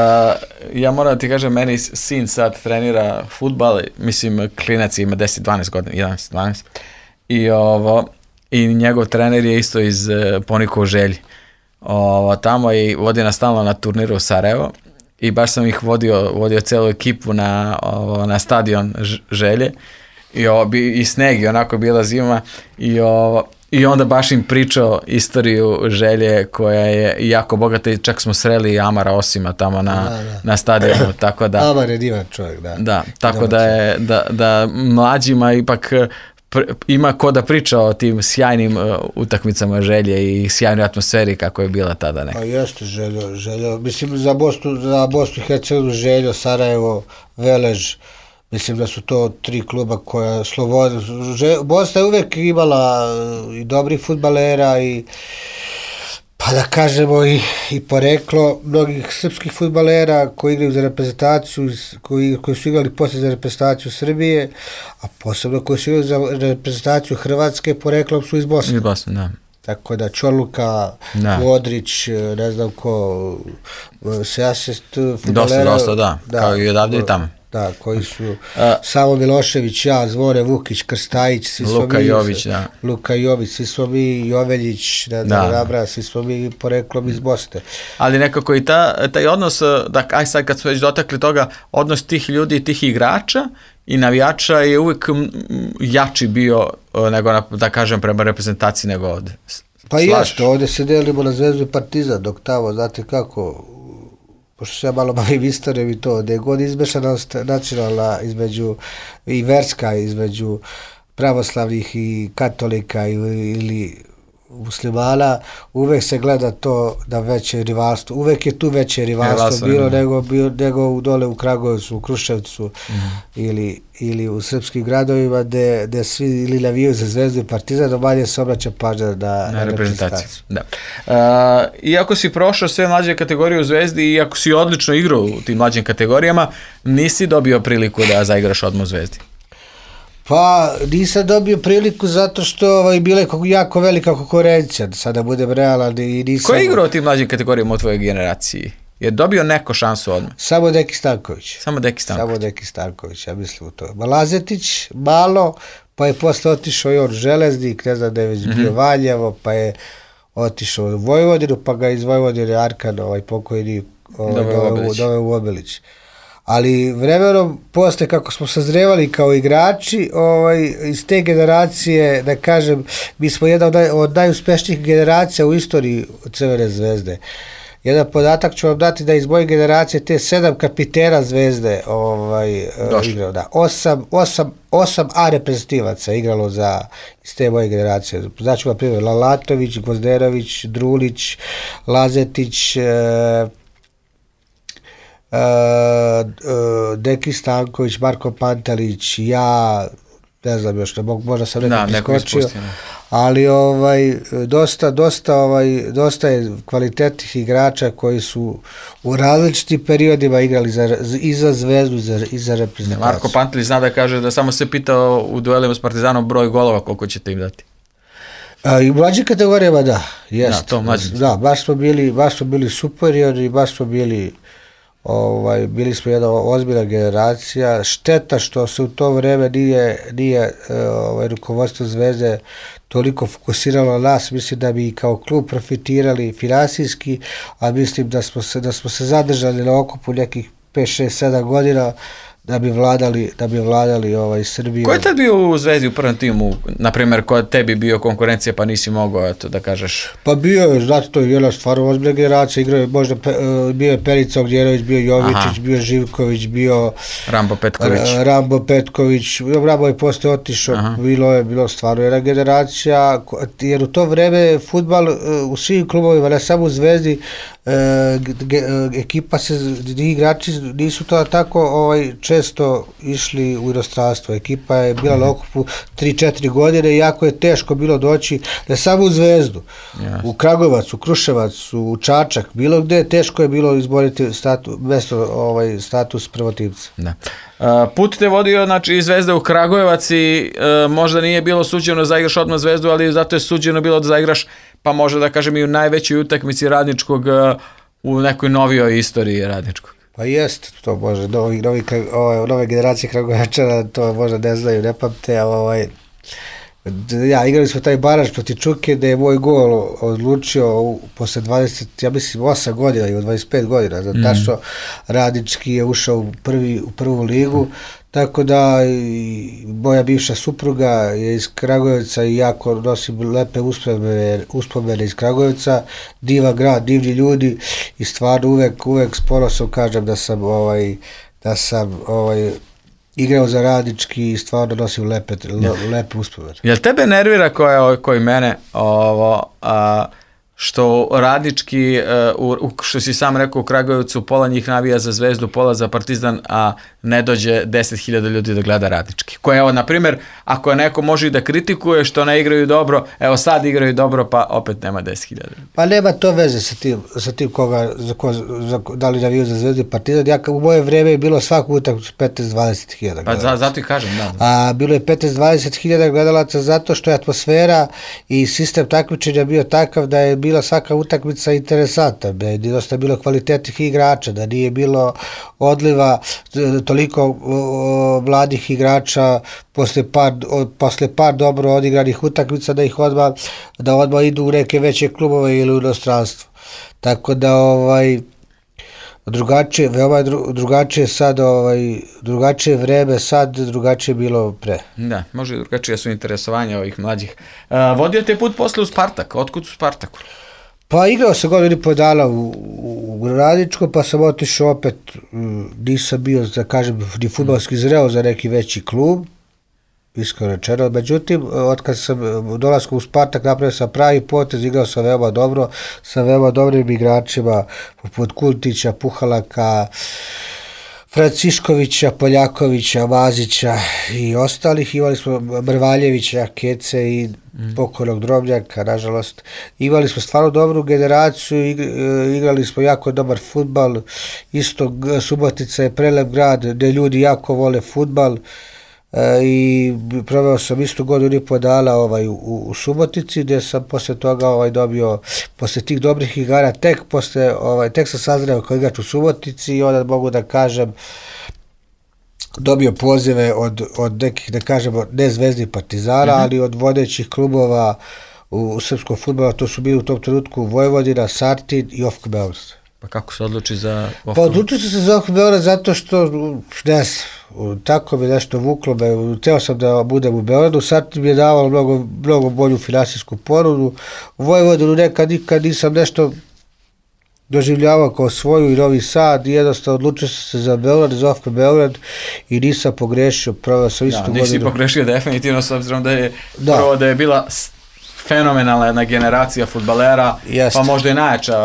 ja moram da ti kažem, meni sin sad trenira fudbal, mislim klinac ima deset dvanaest godina, jedanaest dvanaest i ovo i njegov trener je isto iz uh, Ponikova u Želji. Ovo, tamo i vodi nas stalno na turniru u Sarajevo i baš sam ih vodio, vodio celu ekipu na, ovo, na stadion Želje i, ovo, i sneg i onako bila zima i ovo, i onda baš im pričao istoriju Želje koja je jako bogata i čak smo sreli Amara Osima tamo na, da, da. na stadionu, tako da...
Amar je divan čovjek, da.
Da, tako da je, da, da mlađima ipak pr, ima ko da priča o tim sjajnim uh, utakmicama Želje i sjajnoj atmosferi kako je bila tada neka.
Pa jeste Željo, Željo, mislim za Bosnu, za Bosnu i Hercegovinu Željo, Sarajevo, Velež, mislim da su to tri kluba koja slobodno... Bosna je uvek imala i dobrih fudbalera i pa da kažemo i, i poreklo mnogih srpskih fudbalera koji igraju za reprezentaciju, koji, koji su igrali posle za reprezentaciju Srbije, a posebno koji su igrali za reprezentaciju Hrvatske, poreklom su iz Bosne.
Iz Bosne, da.
Tako da Čorluka, da. Modrić, ne znam ko, Sejasest fudbalera.
Dosta, dosta, da, da kao i odavde i tamo.
Da, koji su a, Samo Milošević, ja, Zvone Vukić, Krstajić, svi smo
Luka
mi,
Jović, da.
Luka Jović, svi smo mi, Joveljić, ne znam, Nabra, svi smo mi poreklom iz Bosne.
Ali nekako i ta, taj odnos, da, aj sad kad smo već dotakli toga, odnos tih ljudi, tih igrača i navijača je uvijek jači bio nego, da kažem, prema reprezentaciji nego ovde.
Pa jeste, ovde se delimo na Zvezdu i Partizan, dok tamo, znate kako... pošto se ja malo bavim istorijom i to, da je god izmešanost nacionalna između i verska između pravoslavnih i katolika ili, ili muslimana, uvek se gleda to da veće rivalstvo, uvek je tu veće rivalstvo bilo nego, bilo nego u dole u Kragujevcu, u Kruševcu mm-hmm. ili, ili u srpskim gradovima gde, gde svi ili navijaju za Zvezdu i Partizan, no manje se obraća pažnja na, na, na reprezentaciju.
Da. Uh, iako si prošao sve mlađe kategorije u Zvezdi i iako si odlično igrao u tim mlađim kategorijama, nisi dobio priliku da zaigraš odmah u Zvezdi.
Pa nisam dobio priliku zato što ovaj, bila je jako velika konkurencija, da sada budem realan i nisam...
Ko je igrao u tim mlađim kategorijama u tvojoj generaciji? Je dobio neko šansu odmah?
Samo Deki Stanković.
Samo Deki Stanković.
Samo Deki Stanković, ja mislim u to. Malazetić, malo, pa je posle otišao i on Železnik, ne znam da je već bio mm-hmm. Valjevo, pa je otišao u Vojvodinu, pa ga iz Vojvodine Arkan, ovaj pokojni, ovaj, doveo u Obilić. Ali vremenom posle kako smo sazrevali kao igrači, ovaj, iz te generacije, da kažem, mi smo jedna od, naj, od najuspešnijih generacija u istoriji Crvene Zvezde. Jedan podatak ću vam dati da iz moje generacije te sedam kapitena Zvezde ovaj, igrao. Da. Osam, osam, osam A reprezentativaca igralo za, iz te moje generacije. Znači, na primjer, Lalatović, Gvozderović, Drulić, Lazetić, e, Uh, uh, Deki Stanković, Marko Pantelić, ja, ne znam još, ne mogu, možda sam nekako iskočio, ali ovaj, dosta, dosta, ovaj, dosta je kvalitetnih igrača koji su u različitim periodima igrali za, i za Zvezdu i za, i za reprezentaciju.
Marko Pantelić zna da kaže da samo se pitao u duelima s Partizanom broj golova koliko ćete im dati.
A, i u mlađim kategorijama da, jest. Da, to mlađim. Da, baš smo bili, baš smo bili superiorni, baš smo bili ovaj, bili smo jedna ozbiljna generacija. Šteta što se u to vreme nije, nije ovaj, rukovodstvo Zvezde toliko fokusiralo na nas, mislim da bi kao klub profitirali finansijski, a mislim da smo se, da smo se zadržali na okupu nekih pet, šest, sedam godina da bi vladali, da bi vladali ovaj Srbiju.
Ko je tad bio u Zvezdi u prvom timu, na primjer, ko je tebi bio konkurencija pa nisi mogao, eto, da kažeš?
Pa bio je, znate, to je jedna stvarno ozbiljna generacija, igrao je možda, pe, bio je Perica Ognjenović, bio Jovičić, aha, bio Živković, bio
Rambo Petković.
Rambo Petković, Rambo je posle otišao, aha, bilo je, bilo stvarno jedna generacija, jer u to vreme fudbal u svim klubovima, ne samo u Zvezdi, E, ge, ekipa se, igrači nisu to tako ovaj, često išli u inostranstvo. Ekipa je bila na okupu tri četiri godine i jako je teško bilo doći ne samo u Zvezdu, yes, u Kragujevac, u Kruševac, u Čačak, bilo gde teško je bilo izboriti statu, mesto, ovaj, status prvotimca.
Da. Uh, put te vodio, znači, iz Zvezde u Kragujevac i uh, možda nije bilo suđeno da zaigraš odmah Zvezdu, ali zato je suđeno bilo da zaigraš, pa možda da kažem i u najvećoj utakmici Radničkog uh, u nekoj novijoj istoriji Radničkog.
Pa jest, to može, novi, novi, ovaj, nove generacije Kragujevačana to možda ne znaju, ne pamte, ovaj, ja, igrali smo taj baraž proti Čuke da je moj gol odlučio u, posle dvadeset, ja mislim osam godina i u dvadeset pet godina, zato mm. što Radnički je ušao u, prvi, u prvu ligu, mm. tako da i moja bivša supruga je iz Kragujevca i jako nosim lepe uspomene, uspomene iz Kragujevca, divan grad, divni ljudi i stvarno uvek, uvek s ponosom kažem da sam ovaj, da sam ovaj, igrao za Radnički i stvarno nosim lepe, le, lepe uspomene.
Jel tebe nervira koje, koji mene ovo, a, što Radnički, uh, što si sam rekao, u Kragujevcu pola njih navija za Zvezdu, pola za Partizan, a ne dođe deset hiljada ljudi da gleda Radnički. Koje, evo, na primjer, ako neko može i da kritikuje što ne igraju dobro, evo sad igraju dobro, pa opet nema deset hiljada.
Pa nema to veze sa tim, sa tim koga, za ko, za, da li naviju za Zvezdu i Partizan. Ja, u moje vreme je bilo svaku utakmicu petnaest do dvadeset hiljada.
Pa za, zato i kažem, da.
A bilo je petnaest do dvadeset hiljada gledalaca zato što je atmosfera i sistem takmičenja bio takav da je bila svaka utakmica interesantna, da je dosta bilo kvalitetnih igrača, da nije bilo odliva toliko o, mladih igrača posle par, o, posle par dobro odigranih utakmica da ih odmah, da odmah idu u neke veće klubove ili u inostranstvo. Tako da ovaj drugačije, veoma dru, drugačije sad, ovaj, drugačije vreme sad, drugačije bilo pre.
Da, može drugačije su interesovanja ovih mlađih. Uh, vodio te put posle u Spartak, otkud u Spartaku?
Pa igrao sam godinu i po dana u, u, u Radničko, pa sam otišao opet, nisam bio, da kažem, ni fudbalski zreo za neki veći klub, iskreno rečeno. Međutim, otkad sam dolaskom u Spartak napravio sam pravi potez, igrao sam veoma dobro, sa veoma dobrim igračima, poput Kuntića, Puhalaka, Franciškovića, Poljakovića, Mazića i ostalih. Imali smo Mrvaljevića, Kece i mm. pokojnog Drobnjaka, nažalost. Imali smo stvarno dobru generaciju, igrali smo jako dobar fudbal. Isto Subotica je prelep grad gde ljudi jako vole fudbal. E, i proveo sam isto godinu i po dana ovaj, u, u Subotici, gdje sam posle toga ovaj, dobio, posle tih dobrih igara, tek, posle, ovaj, tek sam sazreo kao igrač u Subotici i onda mogu da kažem dobio pozive od, od nekih, da kažemo, ne Zvezdi Partizana, mm-hmm. ali od vodećih klubova u, u srpskom fudbalu, to su bili u tom trenutku Vojvodina, Sartin i O F K Beograd.
Pa kako se odluči za O F K?
Pa odlučio sam se za O F K Beograd zato što, ne znam, tako mi nešto vuklo me, teo sam da budem u Beogradu, Sartin mi je davalo mnogo, mnogo bolju finansijsku ponudu, u Vojvodinu nekad nikad nisam nešto doživljavao kao svoju i Novi Sad i jednostavno odlučio sam se za Beograd, za O F K Beograd i nisam pogrešio, proveo sam istu godinu.
Da, nisi pogrešio definitivno, s obzirom da je da. prvo da je bila fenomenalna jedna generacija fudbalera, pa možda i najjača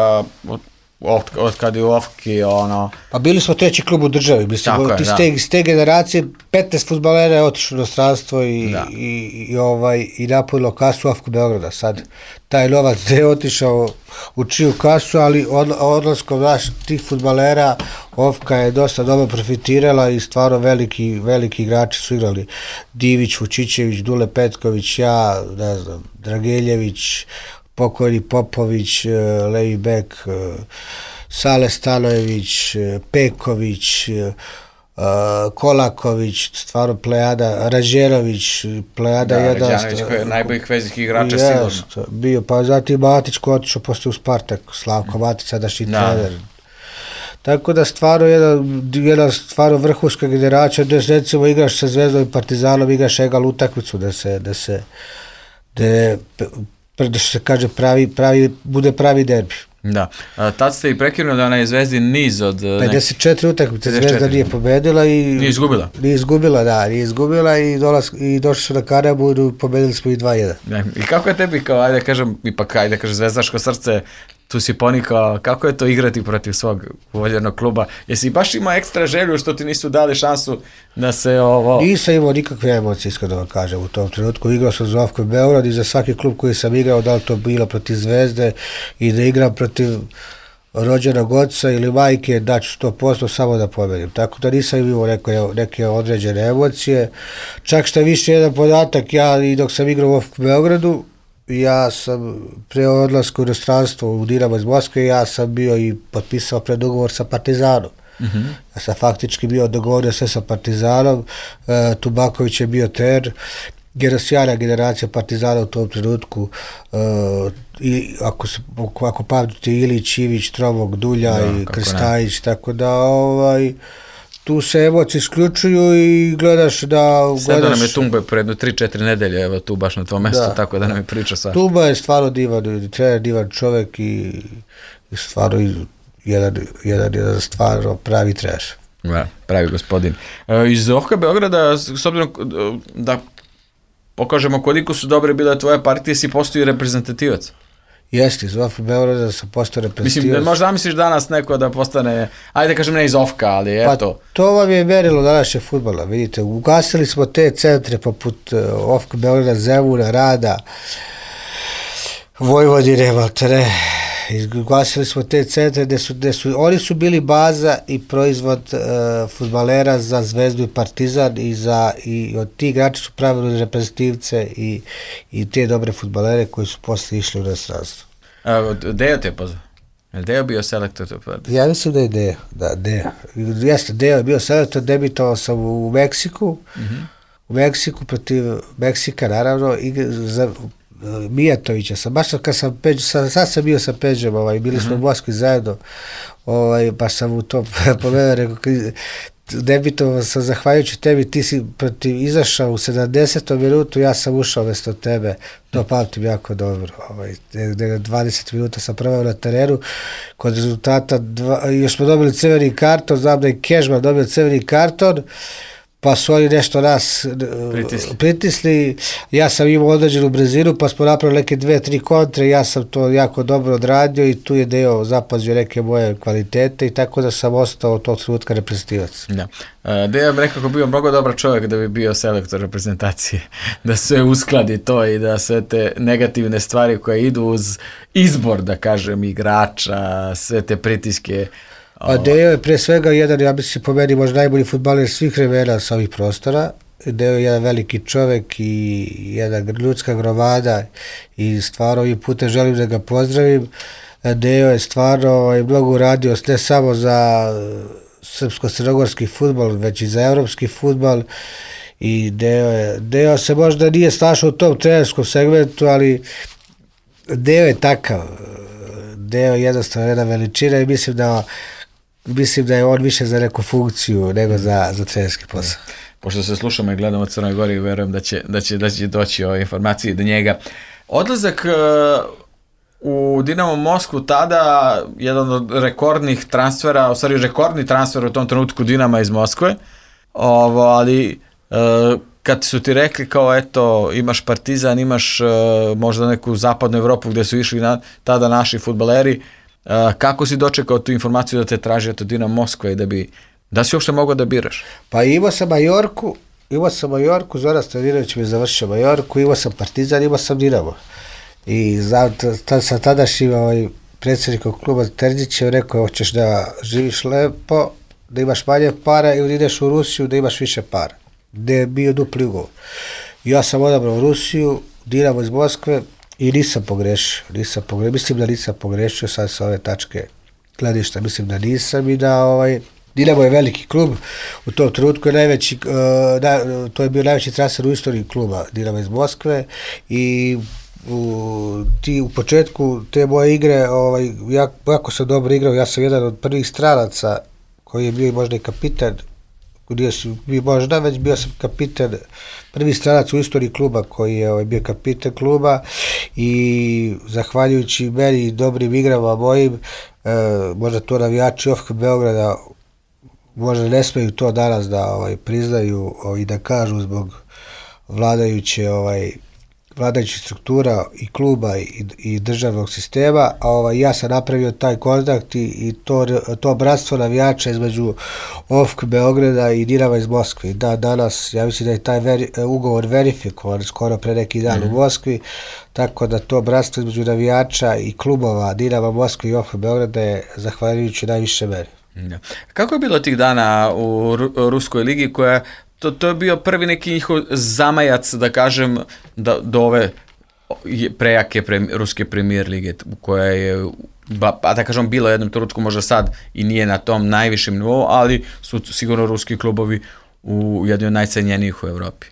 od, od, od kad je u O F K I, ono...
Pa bili smo treći klub u državi, mislim, ti ste, iz te generacije petnaest fudbalera je otišlo u inostranstvo i, i, i, ovaj, i napunilo kasu O F K Beograda. Sad, taj novac gde je otišao u čiju kasu, ali od, odlaskom naš tih fudbalera O F K je dosta dobro profitirala i stvarno veliki, veliki igrači su igrali. Divić, Vučićević, Dule Petković, ja, ne znam, Drageljević, pokojni Popović, levi bek, Sale Stanojević, Peković, Uh, Kolaković, stvarno plejada, Rađerović, plejada
da,
jedan.
Rađanović koji je najboljih vezih igrača
jest,
sigurno.
Bio, pa zatim Matić koji otišao poslije u Spartak, Slavko Matić, sadašnji trener. Tako da stvarno jedna, jedna stvarno vrhunska generacija, da recimo igraš sa Zvezdom i Partizanom, igraš egal utakmicu, da se, da se, da, da se kaže pravi, pravi, bude pravi derbi.
Da, a, tad ste i prekinuli onaj Zvezdin niz od...
pedeset četiri utakmice Zvezda nije pobedila i...
Nije izgubila.
Nije izgubila, da, nije izgubila i, dolaz, i došli su na Karabu i pobedili smo i dva jedan.
Ne, i kako je tebi, kao, ajde kažem, ipak, ajde kažem, zvezdaško srce, tu si ponikao, kako je to igrati protiv svog voljenog kluba? Jesi baš imao ekstra želju što ti nisu dali šansu da se ovo...
Nisam imao nikakve emocije, iskreno vam kažem, u tom trenutku. Igrao sam za Ofko Beograd i za svaki klub koji sam igrao, da li to bilo protiv Zvezde i da igram protiv rođenog oca ili majke, daću sto posto samo da pobedim. Tako da nisam imao neke, neke određene emocije. Čak što više jedan podatak, ja i dok sam igrao u Ofko Beogradu, ja sam pre odlaska u inostranstvo u Dinamo iz Moskve, ja sam bio i potpisao predugovor sa Partizanom. Mm-hmm. Ja sam faktički bio dogovorio sve sa Partizanom, e, Tubaković je bio trener, sjajna generacija Partizana u tom trenutku, e, i ako, ako pamtite Ilić, Ivić, Tromog, Dulja da, i Krstajić, tako da ovaj... tu se emocije isključuju i gledaš da...
Sada nam je Tumba predno tri četiri nedelje, evo tu baš na tvojom mjestu, da, tako da nam je priča sva.
Tumba je stvarno divan, trener, divan čovjek i, i stvarno jedan, jedan, jedan stvarno pravi trener.
Da, pravi gospodin. E, iz Ofka Beograda, s obzirom da pokažemo koliko su dobre bile tvoje partije, si postao i reprezentativac.
Jeste, iz Ofka Beograda sam postao reprezentativac.
Mislim, možda misliš danas neko da postane, ajde kažem ne iz Ofka, ali eto.
Pa to vam je merilo današnje fudbala, vidite, ugasili smo te centre poput uh, Ofka Beograda, Zemuna, Rada, Vojvodine, Maltere, ugasili smo te centre gde su, gde su, oni su bili baza i proizvod uh, fudbalera za Zvezdu i Partizan i, za, i od tih igrača su pravili reprezentativce i, i te dobre fudbalere koji su posle išli u inostranstvo.
Dejo te je pozvao? Je Dejo bio selektor?
Ja mislim da je Dejo, da, Dejo. Jeste, Dejo je bio selektor, debitovao sam u Meksiku, mm-hmm. u Meksiku protiv Meksika, naravno, i za Mijatovića sam, baš kad sam Peđu, sad, sad sam bio sa Peđom, ovaj, bili smo uh-huh. u Moskvi zajedno, ovaj, pa sam u to povedao, rekao, debitovao sam zahvaljujući tebi, ti si protiv, izašao u sedamdesetom minutu, ja sam ušao mjesto tebe, to pamtim jako dobro, ovaj, dvadeset minuta sam proveo na terenu, kod rezultata, dva, još smo dobili crveni karton, znam da je Kežman dobio crveni karton, pa su oni nešto nas pritisli. pritisli, ja sam imao određenu brzinu, pa smo napravili neke dve, tri kontre, ja sam to jako dobro odradio i tu je Dejo zapazio neke moje kvalitete i tako da sam ostao od tog trenutka reprezentativac.
Da. Dejo bi nekako bio mnogo dobar čovjek da bi bio selektor reprezentacije, da sve uskladi to i da sve te negativne stvari koje idu uz izbor, da kažem, igrača, sve te pritiske.
A Dejo je pre svega jedan, ja mislim po meni možda najbolji fudbaler svih vremena sa ovih prostora. Dejo je jedan veliki čovjek i jedna ljudska gromada i stvarno ovim putem želim da ga pozdravim. Dejo je stvarno mnogo uradio ne samo za srpsko-crnogorski fudbal, već i za evropski fudbal. I Dejo, je, Dejo se možda nije snašao u tom trenerskom segmentu, ali Dejo je takav. Dejo je jednostavno jedna veličina i mislim da mislim da je on više za neku funkciju nego za, za trenerski posao.
Pošto se slušamo i gledamo Crnoj Gori, verujem da će, da će, da će doći ove informacije do njega. Odlazak uh, u Dinamo Moskvu tada, jedan od rekordnih transfera, u stvari rekordni transfer u tom trenutku Dinama iz Moskve, ovo, ali uh, kad su ti rekli kao eto imaš Partizan, imaš uh, možda neku zapadnu Evropu gdje su išli na, tada naši fudbaleri, uh, kako si dočekao tu informaciju da te traži od Dinamo Moskva i da bi, da si uopšte mogao da biraš?
Pa imao sam Majorku, imao sam Majorku, Zoran Stojadinović mi je završio Majorku, imao sam Partizan, imao sam Dinamo. I za, ta, sa tadašnjim ovaj, predsjednikom kluba Terzićem rekao, hoćeš da živiš lepo, da imaš manje para ili ideš u Rusiju da imaš više para. Gde je bio dupli ugovor. Ja sam odabrao Rusiju, Dinamo iz Moskve i nisam pogrešio. Nisam pogrešio. Mislim da nisam pogrešio sad sa ove tačke gledišta, mislim da nisam i da ovaj, Dinamo je veliki klub, u tom trenutku je najveći, uh, da, to je bio najveći transfer u istoriji kluba Dinamo iz Moskve i u, ti, u početku te moje igre, ovaj, jako, jako sam dobro igrao, ja sam jedan od prvih stranaca koji je bio možda i kapitan, gdje su bio možda, već bio sam kapitan, prvi stranac u istoriji kluba koji je ovaj, bio kapitan kluba i zahvaljujući meni i dobrim igrama mojim, e, možda to navijači O F K Beograda možda ne smeju to danas da ovaj, priznaju i da kažu zbog vladajuće ovaj, vladajućih struktura i kluba i, i državnog sistema, a ovaj, ja sam napravio taj kontakt i, i to, to bratstvo navijača između O F K Beograda i Dinama iz Moskve. Da, danas, ja mislim da je taj veri, ugovor verifikovan skoro pre neki dan mm-hmm. u Moskvi, tako da to bratstvo između navijača i klubova Dinama Moskve i O F K Beograda je zahvaljujući najviše meri.
Da. Kako je bilo tih dana u Ru- Ruskoj ligi koja To, to je bio prvi neki njihov zamajac, da kažem, da, do ove prejake pre, ruske premijer lige, koja je, ba, da kažem, bilo jednom trenutku, možda sad i nije na tom najvišem nivou, ali su sigurno ruski klubovi u jednoj od najcenjenijih u Evropi.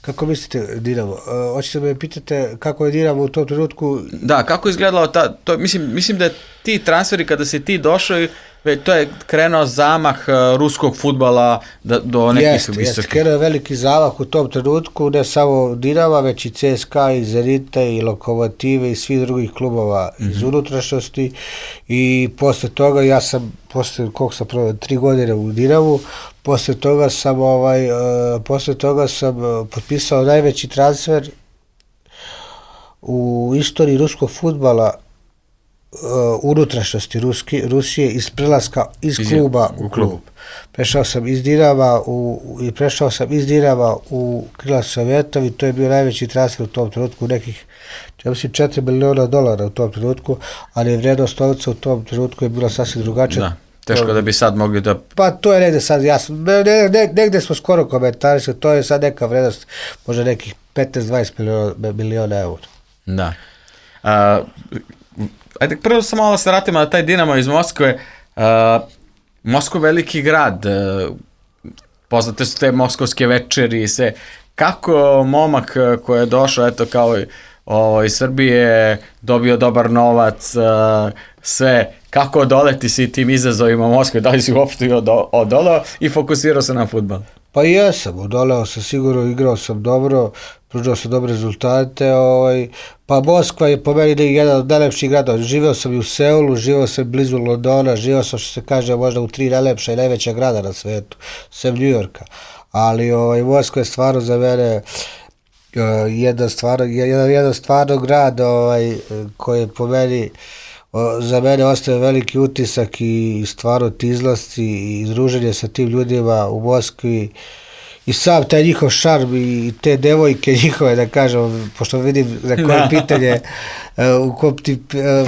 Kako mislite Dinamo? Uh, hoćete me pitate kako je Dinamo u tom trenutku?
Da, kako je izgledalo ta, to, mislim, mislim da ti transferi kada si ti došao, to je krenuo zamah uh, ruskog fudbala da, do nekih
jest,
visokih.
Jeste, krenuo je veliki zamah u tom trenutku, ne samo Dinama, već i C S K A, i Zenita, i Lokomotive, i svih drugih klubova mm-hmm. iz unutrašnjosti i posle toga ja sam, posle koliko sam proveo, tri godine u Dinamu, posle toga sam, ovaj, uh, posle toga sam uh, potpisao najveći transfer u istoriji ruskog fudbala Uh, unutrašnjosti Ruski, Rusije iz prelaska iz kluba u klub. klub. Prešao sam iz Dinama u, i prešao sam iz Dinama u Krila Sovjetovi, to je bio najveći transfer u tom trenutku, nekih ja mislim četiri miliona dolara u tom trenutku, ali vrednost novca u tom trenutku je bila sasvim drugačija.
Da. Teško da bi sad mogli da...
Pa to je negde sad jasno, ne, ne, ne, negde smo skoro komentarisali, to je sad neka vrednost, možda nekih petnaest do dvadeset miliona eura.
Da. A, ajde, prvo samo malo se vratimo na taj Dinamo iz Moskve. Uh, Moskva veliki grad, uh, poznate su te moskovske večeri i sve. Kako momak koji je došao, eto kao o, iz Srbije, dobio dobar novac, uh, sve, kako odoleti si tim izazovima Moskve, da li si uopšte odolao i fokusirao se na fudbal?
Pa i ja sam, odoleo sam sigurno, igrao sam dobro, pružao sam dobre rezultate, ovaj, pa Moskva je po meni jedan od najlepših gradova. Živeo sam i u Seulu, živeo sam blizu Londona, živeo sam, što se kaže, možda u tri najlepša i najveća grada na svetu, sem New Yorka. Ali ovaj, Moskva je stvarno za mene uh, jedan stvarno, jedan, jedan stvarno grad ovaj, koji je po meni za mene ostaje veliki utisak i stvarno ti izlasci i druženje sa tim ljudima u Moskvi i sam taj njihov šarm i te devojke njihove, da kažem, pošto vidim za koje pitanje u kom ti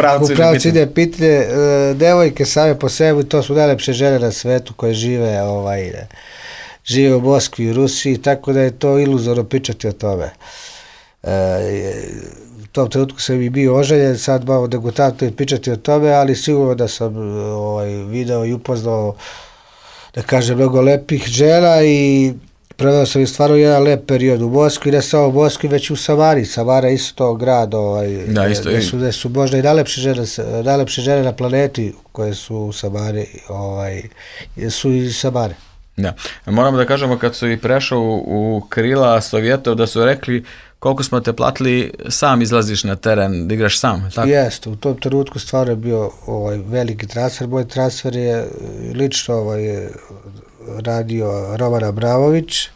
u pravcu ide pitanje, devojke same po sebi, to su najlepše žene na svetu koje žive ovaj, žive u Moskvi i Rusiji, tako da je to iluzorno pričati o tome. U tom trenutku sam i bio oženjen, sad malo degutantno je pričati o tome, ali sigurno da sam ovaj, video i upoznao, da kažem, mnogo lepih žena i proveo sam i stvarno jedan lep period u Moskvi, ne samo u Moskvi, već u Samari. Samara je isto grad, ovaj,
da, isto
gde, su, gde su možda i najlepše žene, najlepše žene na planeti koje su u Samari, ovaj, su iz Samare.
Da. Moramo da kažemo kad su i prešao u, u krila Sovjetov da su rekli koliko smo te platili, sam izlaziš na teren, da igraš sam, tako?
Jeste, u tom trenutku stvarno je bio ovaj, veliki transfer. Moj transfer je lično ovaj, radio Roman Abramović,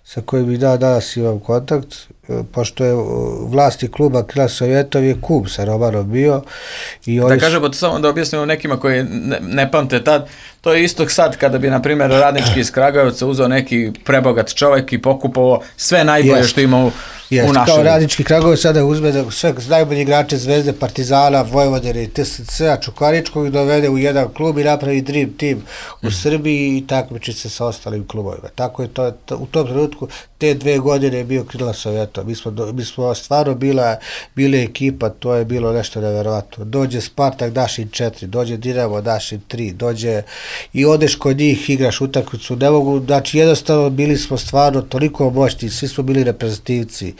sa kojim i da, danas imam kontakt, pošto je vlasti kluba Krila Sovjetov je kum sa Romanom bio. I
da kažemo, samo da objasnimo nekima koji ne, ne pamte tad, to je isto sad kada bi, na primjer, Radnički iz Kragujevca uzeo neki prebogat čovjek i pokupao sve najbolje jest, što ima u, jest, u našoj. Kao
Radnički Kragujevac sada uzme da sve najbolji igrače Zvezde, Partizana, Vojvodine i T S C-a Čukaričkog dovede u jedan klub i napravi dream team u mm. Srbiji i takmiči se sa ostalim klubovima. Tako je to, to u tom trenutku te dve godine je bio krila Sovjeta. Mi smo, mi smo stvarno bila, bili ekipa, to je bilo nešto nevjerovatno. Dođe Spartak, daš im četiri, dođe Dinamo, daš im tri, dođe i odeš kod njih, igraš utakmicu, ne mogu, znači jednostavno bili smo stvarno toliko moćni, svi smo bili reprezentativci.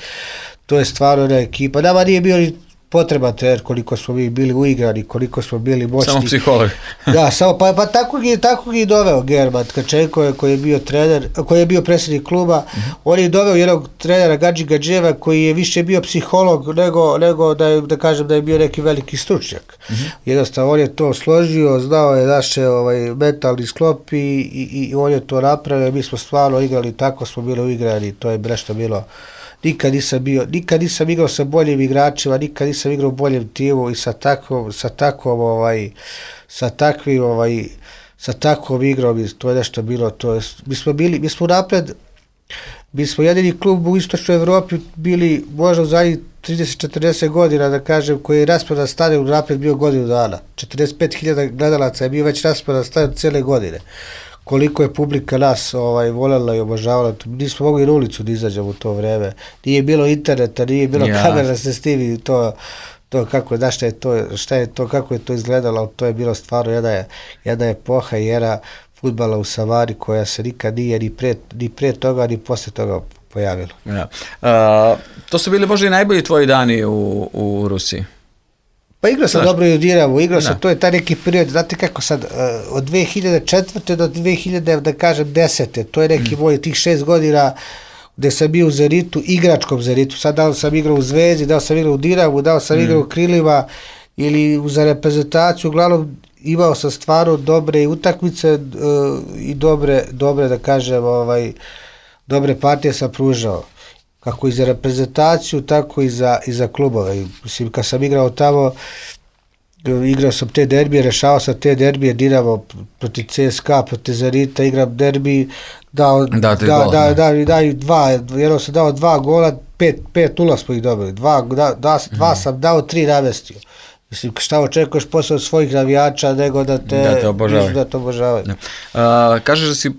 To je stvarno jedna ekipa. Nama nije bio ni potreban trener, koliko smo mi bili uigrani, koliko smo bili moćni.
Samo psiholog.
Da, samo, pa, pa tako gi tako gi doveo German Tkačenko, koji je bio trener, koji je bio predsjednik kluba. Mm-hmm. On je doveo jednog trenera Gadži Gadževa, koji je više bio psiholog nego, nego da, je, da kažem da je bio neki veliki stručnjak. Mm-hmm. Jednostavno, on je to složio, znao je naše ovaj, mentalni sklop i, i, i on je to napravio. Mi smo stvarno igrali, tako smo bili uigrani, to je nešto bilo. Nikad nisam bio, nikad nisam igrao sa boljim igračima, nikad nisam igrao u boljem timu i sa takvom, sa takvom, ovaj, sa takvim, ovaj, sa takvom igrom, to je nešto bilo, to je, mi smo bili, mi smo napred, mi smo jedini klub u istočnoj Evropi bili možda u zadnjih trideset četrdeset godina, da kažem, koji je rasprodan stadion napred bio godinu dana. četrdeset pet hiljada gledalaca je bio već rasprodan stadion cijele godine. Koliko je publika nas ovaj, voljela i obožavala, nismo mogli na ulicu da izađemo u to vreme. Nije bilo interneta, nije bilo ja. kamera da se stivi to, to kako, da šta je to, šta je to, kako je to izgledalo, to je bilo stvarno jedna, jedna epoha i era fudbala u Samari koja se nikad nije ni pre, ni pre toga, ni posle toga pojavila.
Ja. Uh, to su bili možda i najbolji tvoji dani u, u Rusiji?
Pa igrao sam Znaš, dobro i u Dinamu, igrao sam, to je taj neki period, znate kako sad, od dve hiljade četvrte do dve hiljade, da kažem, desete, to je neki mm. moj tih šest godina gde sam bio u Zenitu, igračkom Zenitu, sad da li sam igrao u Zvezdi, da li sam igrao u Dinamu, da li sam mm. igrao u Krilima ili za reprezentaciju, uglavnom imao sam stvarno dobre utakmice uh, i dobre, dobre, da kažem, ovaj, dobre partije sam pružao. Kako i za reprezentaciju, tako i za, i za klubove. Mislim, kad sam igrao tamo, igrao sam te derbije, rešavao sam te derbije, Dinamo protiv C S K A, protiv Zenita, igram derbi, dao, da, da, gol, da, da, daju dva, jedno sam dao dva gola, pet, pet nula smo ih dobili, dva, da, da, dva mm. sam dao, tri namestio. Mislim, šta očekuješ posle od svojih navijača nego da te,
da te obožavaju.
Da te obožavaju.
Uh, kažeš da si uh,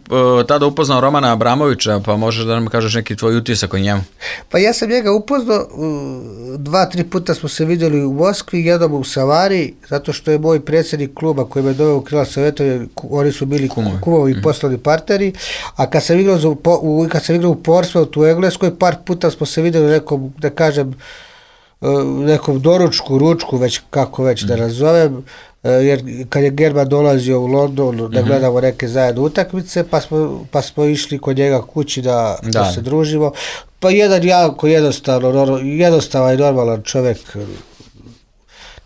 tada upoznao Romana Abramovića, pa možeš da nam kažeš neki tvoj utisak o njemu?
Pa ja sam njega upoznao, dva, tri puta smo se vidjeli u Moskvi, jednom u Savari, zato što je moj predsjednik kluba koji me doveo u krila Sovjeta, oni su bili kumovi, kumovi mm. poslovni partneri, a kad sam igrao, za, u, kad sam igrao u Portsmouthu u Engleskoj, par puta smo se vidjeli nekom, da kažem, nekom doručku, ručku, već kako već da nazovem, jer kad je German dolazio u London da gledamo neke zajedno utakmice, pa smo, pa smo išli kod njega kući da, da. da se družimo. Pa jedan jako jednostavno, jednostavan i normalan čovjek,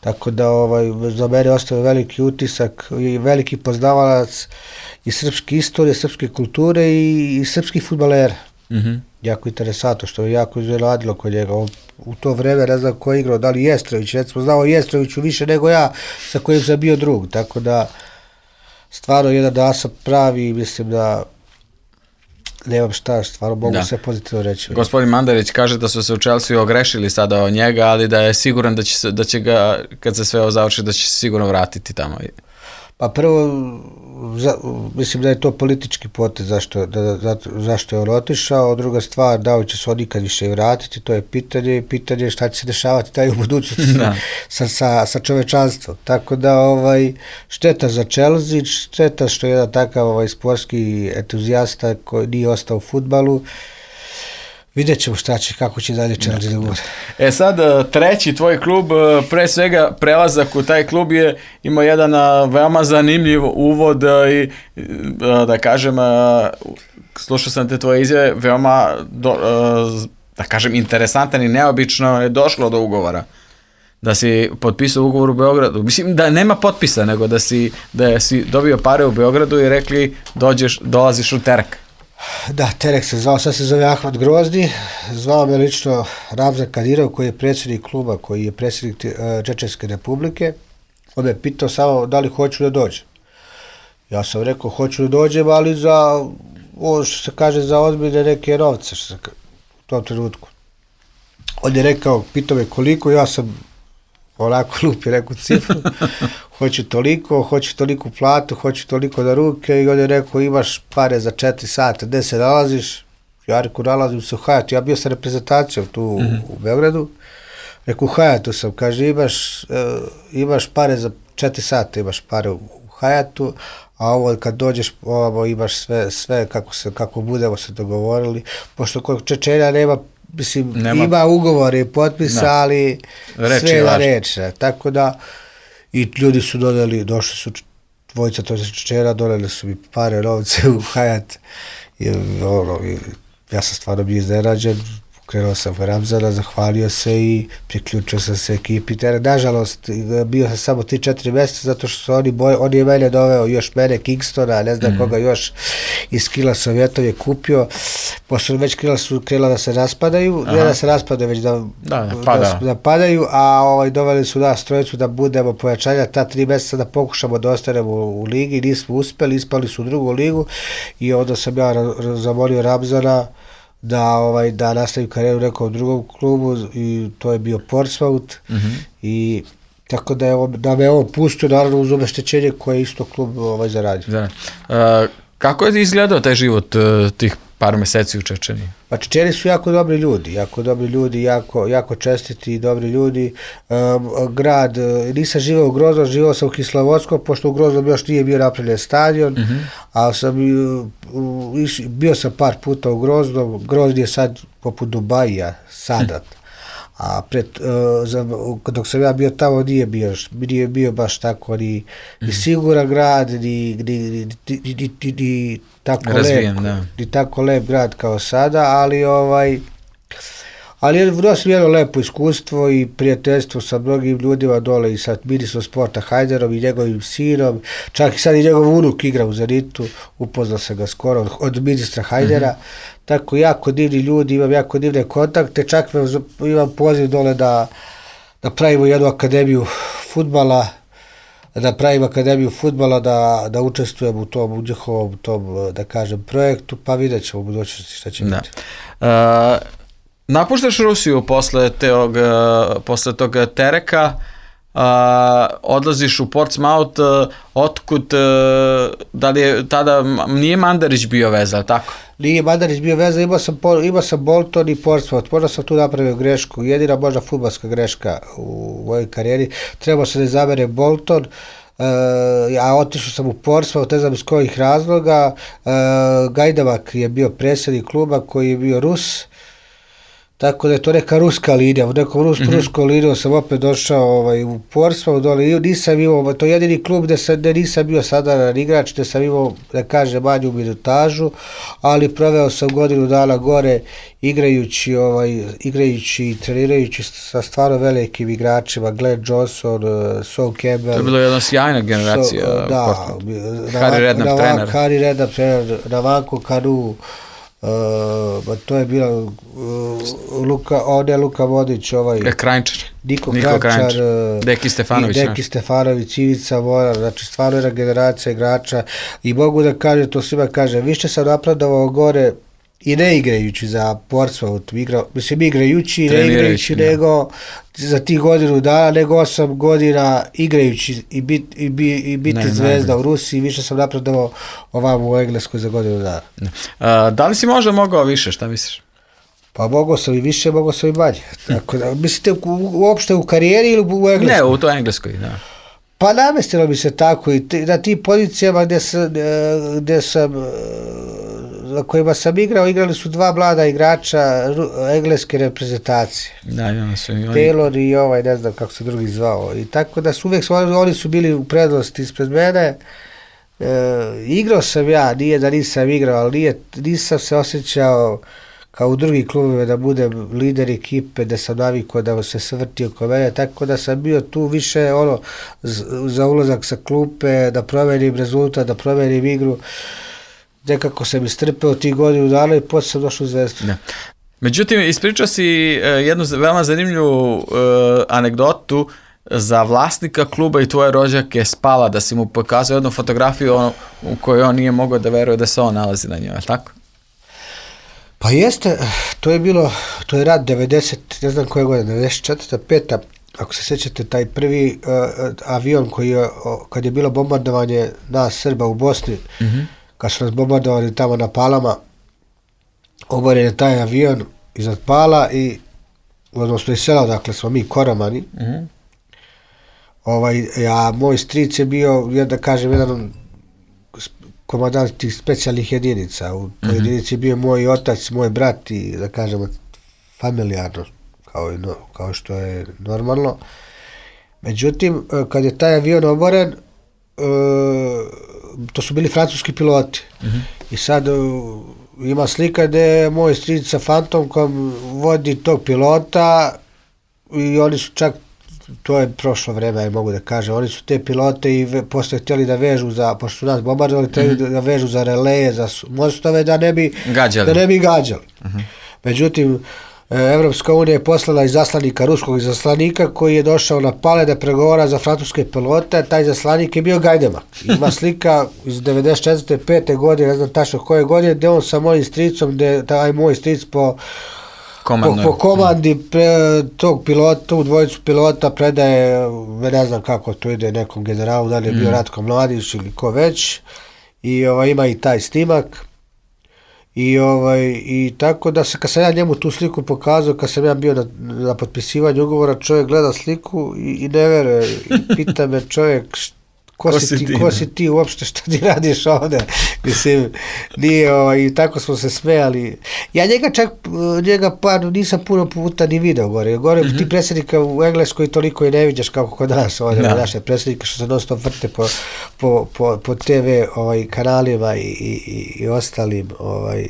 tako da ovaj, za mene ostavio veliki utisak i veliki poznavalac i srpske istorije, srpske kulture i, i srpskih fudbalera. Mm-hmm. Jako interesantno, što je jako izgledalo kod njega. On, u to vreme ne znam ko je igrao, da li Jestrović, recimo znao Jestroviću više nego ja sa kojim sam bio drug, tako da stvarno jedan da sam pravi, mislim da nemam šta, stvarno mogu da. sve pozitivno reći.
Gospodin Mandarić kaže da su se u Chelsea ogrešili sada od njega, ali da je siguran da će, se, da će ga, kad se sve ovo završi, da će se sigurno vratiti tamo.
Pa prvo, za, mislim da je to politički potez zašto, da, za, zašto je on otišao, druga stvar, da li će se on nikad više vratiti, to je pitanje, pitanje šta će se dešavati taj u budućnosti sa, sa, sa čovečanstvom. Tako da ovaj, šteta za Chelsea, šteta što je jedan takav ovaj, sportski entuzijasta koji nije ostao u fudbalu. Vidjet ćemo šta će, kako će dalje Chelsea da bude.
E sad, treći tvoj klub, pre svega prelazak u taj klub je imao jedan veoma zanimljiv uvod i da kažem, slušao sam te tvoje izjave, veoma do, da kažem interesantan i neobično je došlo do ugovora. Da si potpisao ugovor u Beogradu. Mislim da nema potpisa, nego da si, da si dobio pare u Beogradu i rekli dođeš, dolaziš u Terek.
Da, Terek se zvao, sad se zove Ahmad Grozdi, zvao me lično Ramzan Kadirov koji je predsjednik kluba, koji je predsjednik uh, Čečenske republike. On me pitao samo da li hoću da dođem. Ja sam rekao hoću da dođem, ali za, ovo što se kaže, za ozbiljne neke novce što se, u tom trenutku. On je rekao, pitao me koliko, ja sam onako lupi rekao cifru, hoću toliko, hoću toliku platu, hoću toliko na ruke i on je rekao imaš pare za četiri sata, gde se nalaziš, ja reku, nalazim se u Hayatu, ja bio sa reprezentacijom tu mm-hmm. u Beogradu, reku, u Hayatu sam, kaže, imaš, uh, imaš pare za četiri sata, imaš pare u, u Hayatu, a ovo kad dođeš, ovo imaš sve, sve kako, se, kako budemo se dogovorili, pošto kod Čečenja nema, mislim, nema, ima ugovore i potpisa, ali sve na reč, tako da, i ljudi su doneli, došli su dvojica to Čečena, doneli su mi pare, novce u Hayat, i, ono, i ja sam stvarno bio iznenađen, krenuo sam u Ramzana, zahvalio se i priključio sam se ekipi. Nažalost, bio sam samo tri četiri mjeseca zato što su oni, boj, on je mene doveo, još mene, Kingstona, ne znam mm. koga još iz Kila Sovjetov je kupio, pošto već Kila su krenula da se raspadaju, Aha. ne da se raspadaju, već da,
da, da, pada.
da, da padaju, a ovaj, doveli su nas trojicu da budemo pojačanja, ta tri mjeseca da pokušamo da ostanemo u, u ligi, nismo uspeli, ispali su u drugu ligu i onda sam ja zamolio Ramzana da ovaj da nastavim karijeru u nekom drugom klubu i to je bio Portsmouth mm-hmm. i tako da je da me on pustio naravno uz obeštećenje koje je isto klub ovaj zaradio.
Da. Uh, kako je izgledao taj život uh, tih par mjeseci u Čečeniji?
Pa Čečeni su jako dobri ljudi, jako dobri ljudi, jako, jako čestiti i dobri ljudi. Um, grad, nisam živeo u Groznom, živeo sam u Kislovodskom, pošto u Groznom još nije bio napravljen stadion, mm-hmm. ali sam, uh, iš, bio sam par puta u Groznom, Grozni je sad poput Dubaija, sada. Hm. A pred, uh, za, dok sam ja bio tamo nije bio, nije bio baš tako ni, mm. ni siguran grad, ni, ni, ni, ni, ni, ni, ni tako
Razvijen,
lep,
da.
ni tako lep grad kao sada, ali ovaj ali je dosta jedno lepo iskustvo i prijateljstvo sa mnogim ljudima dole i sa ministrom sporta Hajderom i njegovim sinom, čak i sad i njegov unuk igra u Zenitu, upoznao sam ga skoro od, od ministra Hajdera, mm-hmm. tako jako divni ljudi, imam jako divne kontakte, čak imam poziv dole da, da pravimo jednu akademiju fudbala, da pravim akademiju fudbala, da, da učestvujem u tom, u njihovom tom, da kažem, projektu, pa vidjet ćemo u budućnosti šta će biti.
Uh, napuštaš Rusiju posle, teog, posle tog Tereka, uh, odlaziš u Portsmouth, uh, otkud, uh, da li je tada, nije Mandarić bio veza, tako?
Nije Mandarić bio veza, imao sam, imao sam Bolton i Portsmouth, možda sam tu napravio grešku, jedina možda fudbalska greška u mojoj karijeri, trebao sam da izabere Bolton, Uh, ja otišao sam u Portsmouth, ne znam iz kojih razloga, uh, Gajdavak je bio predsjednik kluba koji je bio Rus, tako da je to neka ruska linija, u nekom rus, mm-hmm. ruskom linijom sam opet došao ovaj, u Portsmouth dole i nisam imao, to je jedini klub gde, sam, gde nisam bio sadaran igrač, gde sam imao, da kažem, manju minutažu, ali proveo sam godinu dana gore igrajući, ovaj, igrajući i trenirajući sa stvarno velikim igračima, Glenn Johnson, uh, Son Campbell.
To je bilo jedna sjajna generacija.
So, da,
Harry Redknapp trener.
Harry Redknapp trener, Nwankwo Kanu, Uh, to je bila uh, Luka, on je Luka Vodić, ovaj
Krajnčar,
Niko, Niko Krajnčar, uh,
Deki Stefanović,
Deki Stefanović, Ivica Mora, znači stvarno jedna generacija igrača i mogu da kažem, to svima kažem, više sam napredovao gore i ne igrajući za Portsmouth, igra, mislim igrajući, ne igrajući, ne. nego za tih godinu dana, nego osam godina igrajući i, bit, i, bi, i biti ne, zvezda ne, ne. u Rusiji, više sam napredovao ovam u Engleskoj za godinu dana.
A, da li si možda mogao više, šta misliš?
Pa mogao sam i više, mogao sam i manje. Tako da, mislite u, uopšte u karijeri ili u Engleskoj?
Ne, u to Engleskoj, da.
Pa namestilo mi se tako i t- na tim pozicijama gdje sam, gdje sam, na kojima sam igrao, igrali su dva mlada igrača engleske reprezentacije.
Da, ja su i oni.
Taylor i ovaj, ne znam kako se drugi zvao. I tako da su uvijek, oni su bili u prednosti ispred mene. E, igrao sam ja, nije da nisam igrao, ali nije, nisam se osjećao kao u drugim klubima da budem lider ekipe, da sam navikao da se svrti oko mene, tako da sam bio tu više ono za ulazak sa klupe, da promenim rezultat, da promenim igru. Nekako sam istrpeo tih godinu dana i poslije sam došao u Zvezdu.
Ja. Međutim, ispričao si jednu veoma zanimljivu uh, anegdotu za vlasnika kluba i tvoje rođake Spala, da si mu pokazao jednu fotografiju on, u kojoj on nije mogao da veruje da se on nalazi na njoj, tako?
Pa jeste, to je bilo, to je rad devedeset, ne znam koje godine, devedeset četvrta peta Ako se sjećate, taj prvi uh, avion koji je, kad je bilo bombardovanje nas Srba u Bosni, mm-hmm. kad su nas bombardovali tamo na Palama, oboren je taj avion iznad Pala i odnosno iz sela, dakle smo mi Koromani.
Mm-hmm.
Ovaj, a moj stric je bio, da kažem, jedan komandant tih specijalnih jedinica. U toj mm-hmm. jedinici je bio moj otac, moj brat i, da kažemo, familijarno, kao, no, kao što je normalno. Međutim, kad je taj avion oboren, e, to su bili francuski piloti. Mm-hmm. I sad ima slika gde je moj stric sa fantomkom vodi tog pilota i oni su čak, to je prošlo vreme, ja mogu da kažem, oni su te pilote i ve, posle htjeli da vežu za, pošto su nas bombardovali, htjeli mm-hmm. da vežu za releje, za mostove, da ne bi gađali. Da ne bi gađali. Mm-hmm. Međutim, Evropska unija je poslala izaslanika, ruskog izaslanika koji je došao na Pale da pregovara za francuske pilote, taj izaslanik je bio Gajdemak. Ima slika iz devedeset četvrte pete godine, ne znam tačno koje godine, gde on sa mojim stricom, gde taj moj stric po, po, po komandi pre, tog pilota, tu dvojicu pilota predaje, ne znam kako to ide nekom generalu, da li je bio mm. Ratko Mladić ili ko već, i ovaj, ima i taj snimak. I, ovaj, I tako da se, kad sam ja njemu tu sliku pokazao, kad sam ja bio na, na potpisivanju ugovora, čovjek gleda sliku i, i ne veruje, i pita me čovjek, ko, ko, si ti, ko si ti uopšte, što ti radiš ovde? Mislim, nije, ovaj, i tako smo se smejali. Ja njega čak, njega par, nisam puno puta ni video gore. Gore mm-hmm. ti predsjednika u Engleskoj toliko i ne viđaš kako kod nas, ovdje, no. naše predsjednike što se non stop vrte po, po, po, po te ve ovaj, kanalima i, i, i ostalim ovaj,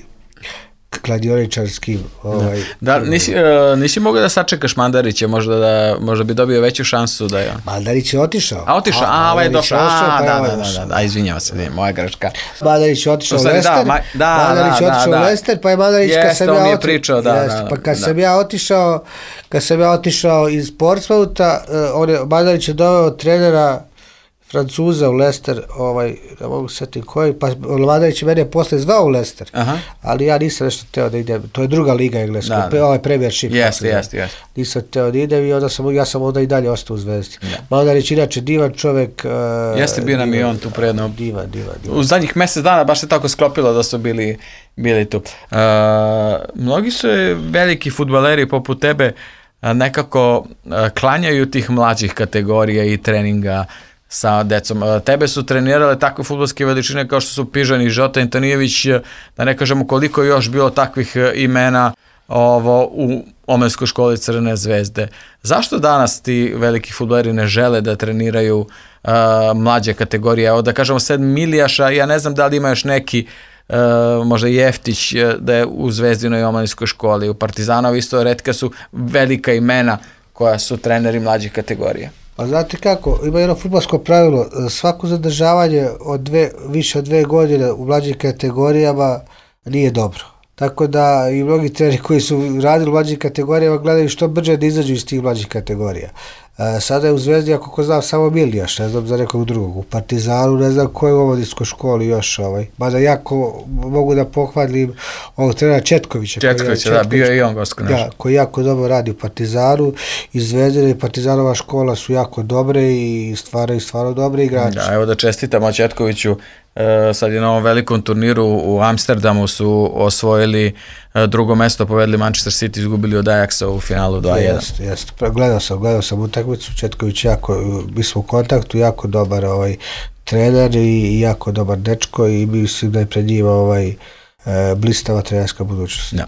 kladioničarskim. Ovaj,
da, nisi, uh, nisi mogao da sačekaš Mandarića, možda, da, možda bi dobio veću šansu da je...
Mandarić je otišao.
A otišao, a, a ovaj je došao, a, pa da, da, da, da, da, izvinjava se, ne, moja greška.
Mandarić je otišao u Lester,
da, da,
Mandarić je otišao u Lester, pa je Mandarić,
jest,
kad sam ja otišao,
pričao, da,
jest,
da, da,
pa kad
da.
sam ja otišao, kad sam ja otišao iz Portsmoutha, uh, on je, Mandarić je doveo trenera Francuza u Leicester, ovaj, ne mogu setiti koji, pa Mandarić je mene posle zvao u Leicester, aha. ali ja nisam nešto teo da idem, to je druga liga engleska, da, ovaj Premiership.
Jeste, jeste, jeste.
Nisam teo da idem i onda sam, ja sam onda i dalje ostao u Zvezdi. Mandarić inače divan čovjek. Uh,
jeste bio nam i on tu predno.
Divan, divan, divan.
U zadnjih mjesec dana baš se tako sklopilo da su bili, bili tu. Uh, mnogi su veliki fudbaleri poput tebe nekako uh, klanjaju tih mlađih kategorija i treninga sa decom. Tebe su trenirale takve fudbalske veličine kao što su Pižan i Žota Antonijević, da ne kažemo koliko još bilo takvih imena ovo, u omladinskoj školi Crvene zvezde. Zašto danas ti veliki fudbaleri ne žele da treniraju uh, mlađe kategorije? Evo da kažemo sad Milijaša, ja ne znam da li ima još neki uh, možda Jeftić da je u Zvezdinoj omladinskoj školi, u Partizanovi isto retka su velika imena koja su treneri mlađih kategorija.
Pa znate kako, ima jedno fudbalsko pravilo, svako zadržavanje od dve, više od dve godine u mlađim kategorijama nije dobro. Tako da i mnogi treneri koji su radili u mlađim kategorijama gledaju što brže da izađu iz tih mlađih kategorija. E, sada je u Zvezdi, ako ko znam, samo Milijaš, ne znam za nekog drugog. U Partizanu ne znam ko je u omladinskoj školi još. Ovaj. Mada jako mogu da pohvalim ovog trenera Četkovića.
Četkovića, da, bio je i on gosko naš.
Da, koji jako dobro radi u Partizanu. I Zvezdina i Partizanova škola su jako dobre i stvaraju stvarno dobre igrače.
Da, evo da čestitamo Četkoviću. E, sad je na ovom velikom turniru u Amsterdamu su osvojili e, drugo mesto, povedli Manchester City, izgubili od Ajaxa u finalu dva jedan.
Jeste, jeste. Gledao sam, gledao sam utakmicu, Četković jako, mi smo u kontaktu, jako dobar ovaj, trener i jako dobar dečko i mislim da je pred njima ovaj, e, blistava trenerska budućnost.
Da.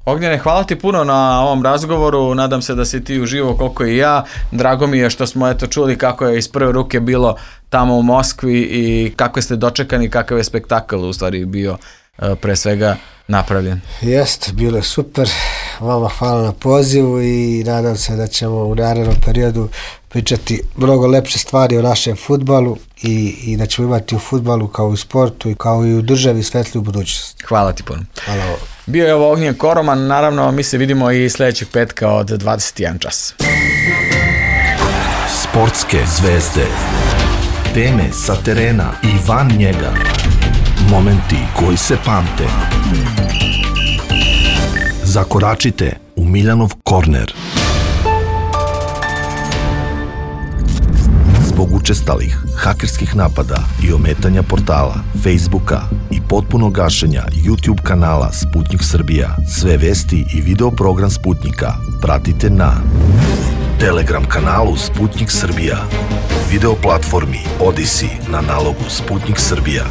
Ognjene, hvala ti puno na ovom razgovoru, nadam se da si ti uživo koliko i ja, drago mi je što smo eto čuli kako je iz prve ruke bilo tamo u Moskvi i kako ste dočekani, kakav je spektakl u stvari bio pre svega napravljen.
Jeste, bilo je super, vama hvala na pozivu i nadam se da ćemo u narednom periodu pričati mnogo lepše stvari o našem fudbalu i, i da ćemo imati u fudbalu kao u sportu i kao i u državi svetliju budućnost.
Hvala ti puno.
Hvala.
Bio je ovo Ognjen Koroman, naravno mi se vidimo i sljedećeg petka od dvadeset jedan čas.
Sportske zvezde, teme sa terena i van njega, momenti koji se pamte. Zakoračite u Miljanov korner. Zbog učestalih hakerskih napada i ometanja portala, Facebooka i potpunog gašenja YouTube kanala Sputnik Srbija, sve vesti i video program Sputnika pratite na Telegram kanalu Sputnik Srbija, video platformi Odyssey na nalogu Sputnik Srbija.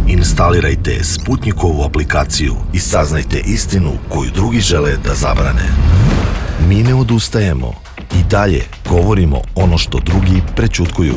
Instalirajte Sputnikovu aplikaciju i saznajte istinu koju drugi žele da zabrane. Mi ne odustajemo i dalje govorimo ono što drugi prećutkuju.